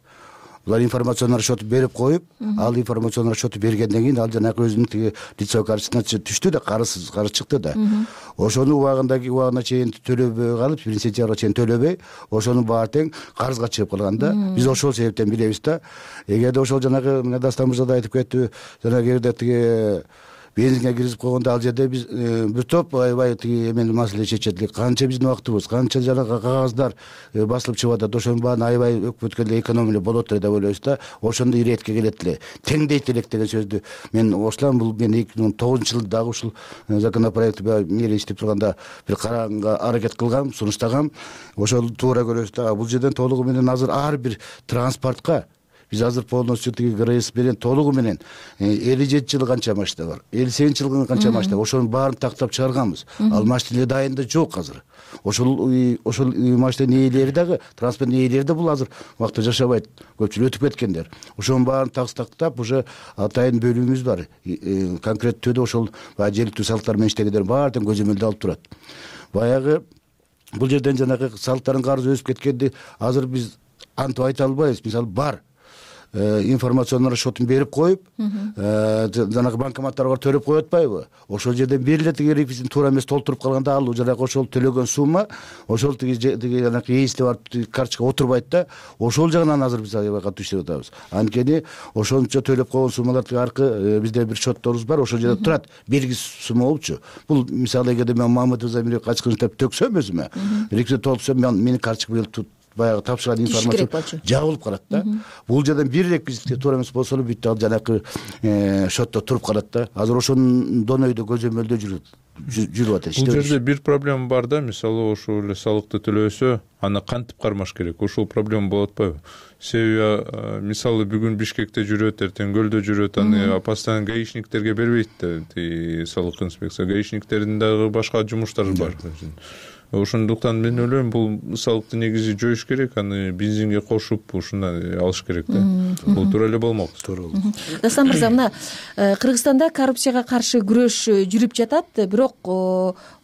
Булар информацион расчёту берип коюп, ал информацион расчёту бергенден кийин ал жанагы өзүнүн тиги лицо карточкасына түштү да, карыз чыкты да. Ошону убагына чейин төлөбөй калып, 1-сентябрга чейин төлөбөй, ошонун баары тең карызга чыгып калган да. Биз ошол себептен билебиз да. Эгерде ошол жанагы Дастан мырза да айтып кетти, жанагы жерде тиги бензинге киргизип койгондо ал жерде биз бир топ аябай тиги эмени маселе чечет элек. Канча биздин убактыбыз, канча жанагы кагаздар басылып чыгып атат, ошонун баарын аябай өкмөткө эле экономия болот эле деп ойлойбуз да. Ошондо иретке келет эле, теңдейт элек деген сөздү мен ошолам. Бул мен 2009-жылы дагы ушул законопроектти мээре иштеп турганда бир караганга аракет кылгам, сунуштагам. Ошол туура көрөбүз да. Бул жерден толугу менен азыр ар бир транспортко биз азыр полностью тиги ГРС менен толугу менен 57 жыл канча машина бар, 58 жыл канча машина, ошонун баарын тактап чыгарганбыз. Ал машина дайында жок азыр. Ошол машинанын ээлери дагы, транспорттун ээлери да бул азыр убакта жашабайт, көпчүлүк өтүп кеткендер. Ошонун баарын тактап уже атайын бөлүмүбүз бар. Конкреттүү түрдө ошол жергиликтүү салыктар менен иштегендер баарын көзөмөлдө алып турат. Баягы бул жерден жанагы салыктардын карызы өсүп кеткенди азыр биз антип айта албайбыз. Мисалы бар информацион расчётун берип коюп, жанагы банкоматтарга төлөп коюп атпайбы? Ошол жерден бир эле тиги реквизитин туура эмес толтуруп калганда ал жанагы ошол төлөгөн сумма ошол тиги жанагы ээсине барып карточкага отурбайт да. Ошол жагынан азыр биз аябай катуу иштеп атабыз. Анткени ошончо төлөп койгон суммалар тиги аркы бизде бир счетторубуз бар, ошол жерде турат. Белгисиз сумма болчу. Бул мисалы эгерде мен Мамытов Замирбек ачкын деп төксөм өзүмө, реквизит толтурсам менин карточкам баягы тапшырган информация жабылып калат да. Бул жерден бир реквизитке туура эмес болсо эле бүт ал жанагы счетто туруп калат да. Азыр ошондон өйдө көзөмөлдө жүрүп атат. Бул жерде бир проблема бар да. Мисалы ошол эле салыкты төлөсө, аны кантип кармаш керек? Ошол проблема болуп атпайбы? Себеби мисалы бүгүн Бишкекте жүрөт, эртең Көлдө жүрөт, аны постоянно гаишниктерге бербейт да. Салык инспекция гаишниктердин дагы башка жумуштары бар. Ошондуктан мен ойлойм бул салыкты негизи жоюш керек, аны бензинге кошуп ушундай алыш керек да. Бул туура эле болмок. Дастан мырза, мына Кыргызстанда коррупцияга каршы күрөш жүрүп жатат, бирок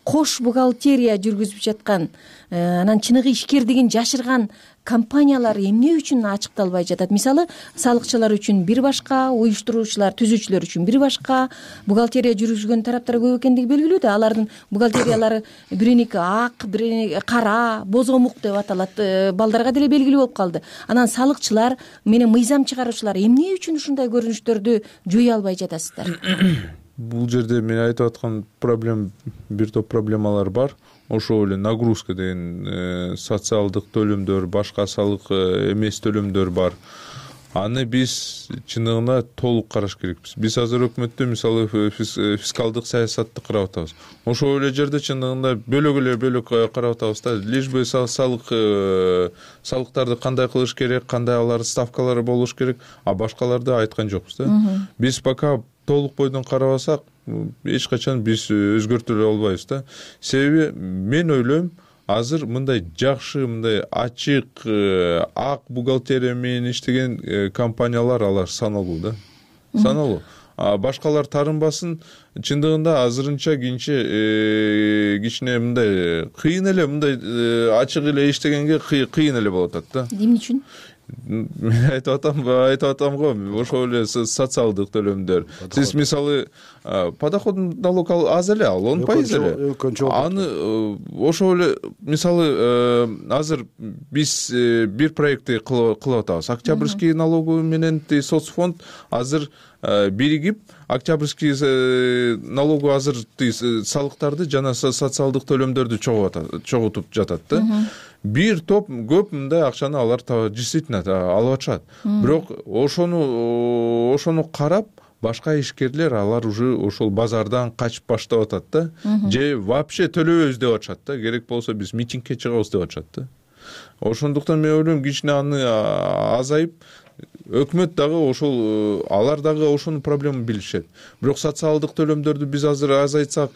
кош бухгалтерия жүргүзүп жаткан, анан чыныгы ишкердигин жашырган компаниялар эмне үчүн ачыкталбай жатат? Мисалы, салыкчылар үчүн бир башка, уюштуруучулар, түзүүчүлөр үчүн бир башка, бухгалтерия жүргүзгөн тараптар көп экендиги белгилүү да. Алардын бухгалтериялары бириники ак, бириники кара, бозомук деп аталат. Балдарга деле белгилүү болуп калды. Анан салыкчылар менен мыйзам чыгаруучулар эмне үчүн ушундай көрүнүштөрдү жое албай жатасыздар? Бул жерде мен айтып аткан бир топ проблемалар бар. ошол эле нагрузка деген социалдык төлөмдөр, башка салык эмес төлөмдөр бар. Аны биз чындыгында толук караш керекпиз. Биз азыр өкмөттө мисалы фискалдык саясатты карап атабыз. Ошол эле жерде чындыгында бөлөк карап атабыз да. Лишь бы салыктарды кандай кылыш керек, кандай алардын ставкалары болуш керек, а башкаларды айткан жокпуз да. Биз пока толук бойдон карабасак, эч качан биз өзгөртө албайбыз да. Себеби мен ойлойм, азыр мындай жакшы, мындай ачык, ак бухгалтерия менен иштеген компаниялар алар саналуу да. Саналуу. Башкалар тарынбасын, чындыгында азырынча кичине мындай кыйын эле, мындай ачык эле иштегенге кыйын эле болуп атат да. Эмне үчүн? Мен айтып атам го, ошол эле социалдык төлөмдөр. Сиз мисалы подоходный налог аз эле, ал 10% эле. Аны ошол эле мисалы азыр биз бир проектти кылып атабыз. Октябрьский налоговый менен соцфонд азыр биригип, октябрьский налогу азыр салыктарды жана социалдык төлөмдөрдү чогултуп жатат да. Бир топ көп мындай акчаны алар действительно алып атышат. Бирок ошону карап, башка ишкерлер алар уже ошол базардан качып баштап атат да. Же вообще төлөбөйбүз деп атышат да. Керек болсо биз митингге чыгабыз деп атышат да. Ошондуктан мен ойлойм, кичине аны азайып, өкмөт дагы ошол алар дагы ошонун проблемын билишет. Бирок социалдык төлөмдөрдү биз азыр азайтсак,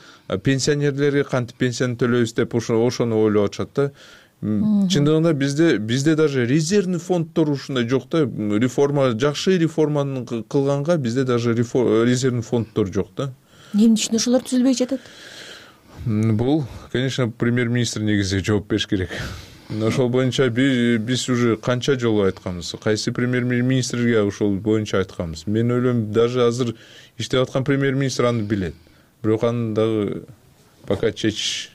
пенсионерлерге кантип пенсияны төлөйбүз деп ошону ойлоп атышат да. Чындыгында бизде даже резервный фонддор ушундай жок да. Жакшы реформаны кылганга бизде даже резервный фонддор жок да. Эмне үчүн ошолор түзүлбөй жатат? Бул, конечно, премьер-министр негизи жооп бериш керек. Ошол боюнча биз уже канча жолу айтканбыз. Кайсы премьер-министрге ошол боюнча айтканбыз. Мен ойлойм, даже азыр иштеп аткан премьер-министр аны билет. Бирок аны дагы пока чечиш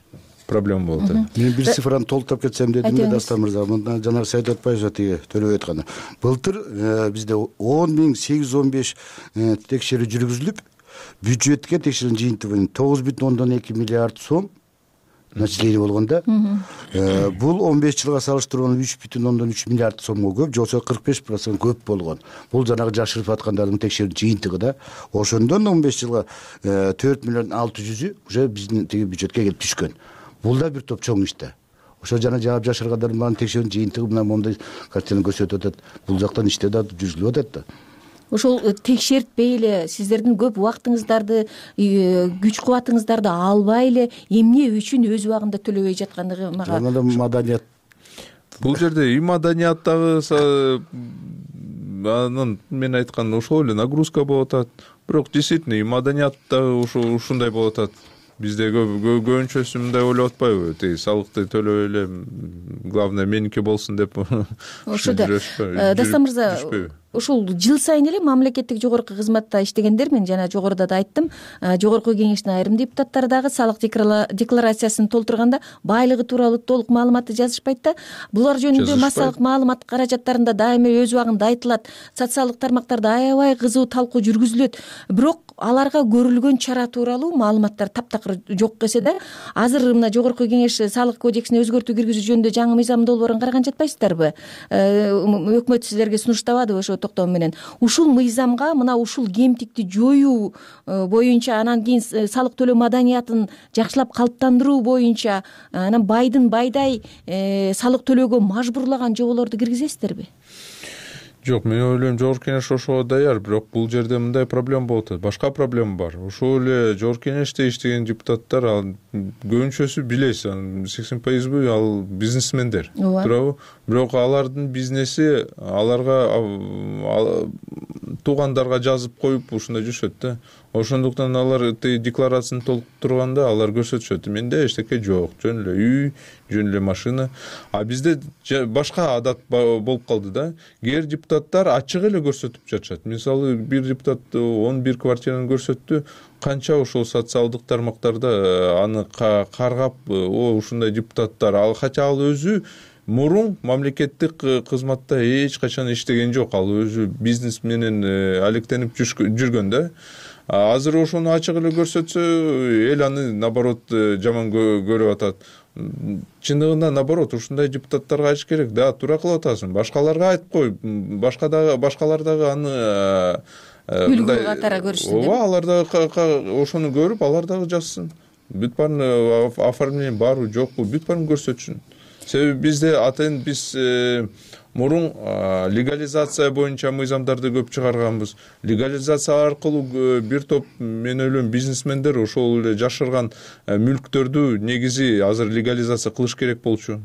проблема болуп атат. Мен бир цифраны толуктап кетсем дедим да, Дастан мырза. Мындан жанагы Саид Атпаев тиги төлөп айтканы. Былтыр бизде 10.815 текшерүү жүргүзүлүп, бюджетке текшерүүнүн жыйынтыгы 9,2 миллиард сом начисление болгондо, бул 15 жылга салыштырганда 3,3 миллиард сомго көп, же болбосо 45% көп болгон. Бул жанагы жашырып аткандардын текшерүү жыйынтыгы да. Ошондон 15 жылга 4 миллион 600 уже биздин тиги бюджетке келип түшкөн. Бул да бир топ чоң иш да. Ошо жана жаап жашыргандардын баарын текшерүүнүн жыйынтыгы мына моундай картинаны көрсөтүп атат. Бул жактан иште да жүргүзүлүп атат да. Ошол текшертпей эле сиздердин көп убактыңыздарды, күч кубатыңыздарды албай эле эмне үчүн өз убагында төлөбөй жаткандыгы мага. Маданият. Бул жерде и маданият дагы анын мен айткан ошол эле нагрузка болуп атат. Бирок действительно и маданият дагы ушундай болуп атат. Бизде көбүнчөсү мындай ойлоп атпайбы? Тиги салыкты төлөбөй эле, главное меники болсун деп. Ошодо Дастан мырза, ошол жыл сайын эле мамлекеттик жогорку кызматта иштегендер, мен жана жогоруда да айттым, жогорку кеңештин айрым депутаттары дагы салык декларациясын толтурганда байлыгы тууралуу толук маалыматты жазышпайт да. Булар жөнүндө массалык маалымат каражаттарында дайыма өз убагында айтылат, социалдык тармактарда аябай кызуу талкуу жүргүзүлөт. Бирок аларга көрүлгөн чара тууралуу маалыматтар таптакыр жок эсе да. Азыр мына жогорку кеңеш салык кодексине өзгөртүү киргизүү жөнүндө жаңы мыйзам долбоорун караган жатпайсыздарбы? Өкмөт силерге сунуштабадыбы ошо токтоо менен? Ушул мыйзамга мына ушул кемтикти жоюу боюнча, анан кийин салык төлөө маданиятын жакшылап калыптандыруу боюнча, анан байдын байдай салык төлөөгө мажбурлаган жоболорду киргизесиздерби? Жок, мен ойлойм, жогорку кеңеш ошого даяр, бирок бул жерде мындай проблема болуп атат. Башка проблема бар. Ошол эле жогорку кеңеште иштеген депутаттар, ал көбүнчөсү билесиз, 80% ал бизнесмендер. Туурабы? Бирок алардын бизнеси аларга туугандарга жазып коюп ушундай жүрүшөт да. Ошондуктан алар декларацияны толтурганда алар көрсөтүшөт. Менде эчтеке жок, жөн эле үй, жөн эле машина. А бизде башка адат болуп калды да. Кээ депутаттар ачык эле көрсөтүп жатышат. Мисалы, бир депутат 11 квартираны көрсөттү, канча ошол социалдык тармактарда аны каргап, ушундай депутаттар, ал хотя ал өзү мурун мамлекеттик кызматта эч качан иштеген жок, ал өзү бизнес менен алектенип жүргөн да. Азыр ошону ачык эле көрсөтсө, эл аны наоборот жаман көрүп атат. чындыгында наоборот ушундай депутаттарга айтыш керек. Да, туура кылып атасың, башкаларга айтып кой, башкалар дагы аны үлгү катары көрүшсүн деп. Ооба, алар дагы ошону көрүп, алар дагы жазсын. Бүт баарын оформление барбы жокпу, бүт баарын көрсөтсүн. Себеби бизде атайын биз мурун легализация боюнча мыйзамдарды көп чыгарганбыз. Легализация аркылуу бир топ, мен ойлойм, бизнесмендер ошол эле жашырган мүлктөрдү негизи азыр легализация кылыш керек болчу.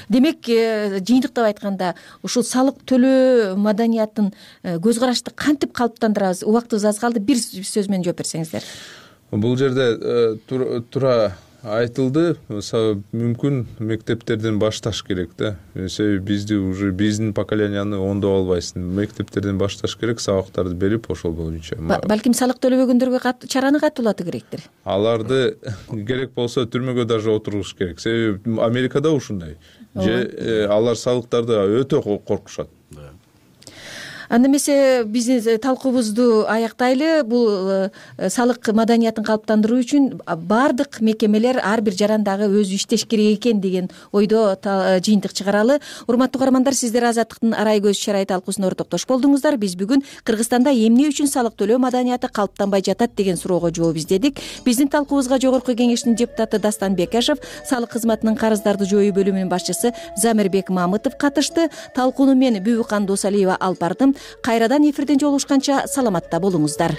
Демек, жыйынтыктап айтканда, ушул салык төлөө маданиятын көз карашты кантип калыптандырабыз? Убактыбыз аз калды, бир сөз менен жооп берсеңиздер. Бул жерде туура айтылды, мүмкүн мектептерден башташ керек да. Себеби бизди уже биздин поколенияны оңдоп албайсың. Мектептерден башташ керек, сабактарды берип ошол боюнча. Балким салык төлөбөгөндөргө чараны катуулатуу керектир. Аларды керек болсо түрмөгө даже отургуш керек. Себеби Америкада ушундай. Же алар салыктарды өтө коркушат. Анда эмесе биздин талкуубузду аяктайлы. Бул салык маданиятын калыптандыруу үчүн баардык мекемелер ар бир жарандагы өзү иштеш керек экен деген ойдо жыйынтык чыгаралы. Урматтуу каармандар, сиздер Азаттыктын арай көз чарай талкуусуна ортоктош болдуңуздар. Биз бүгүн Кыргызстанда эмне үчүн салык төлөө маданияты калыптанбай жатат деген суроого жооп издедик. Биздин талкуубузга Жогорку Кеңештин депутаты Дастан Бекешев, салык кызматынын карыздарды жоюу бөлүмүнүн башчысы Замирбек Мамытов катышты. Талкууну мен Бүбүкан Досалиева алып бардым. Кайрадан эфирден жолугушканча саламатта болуңуздар.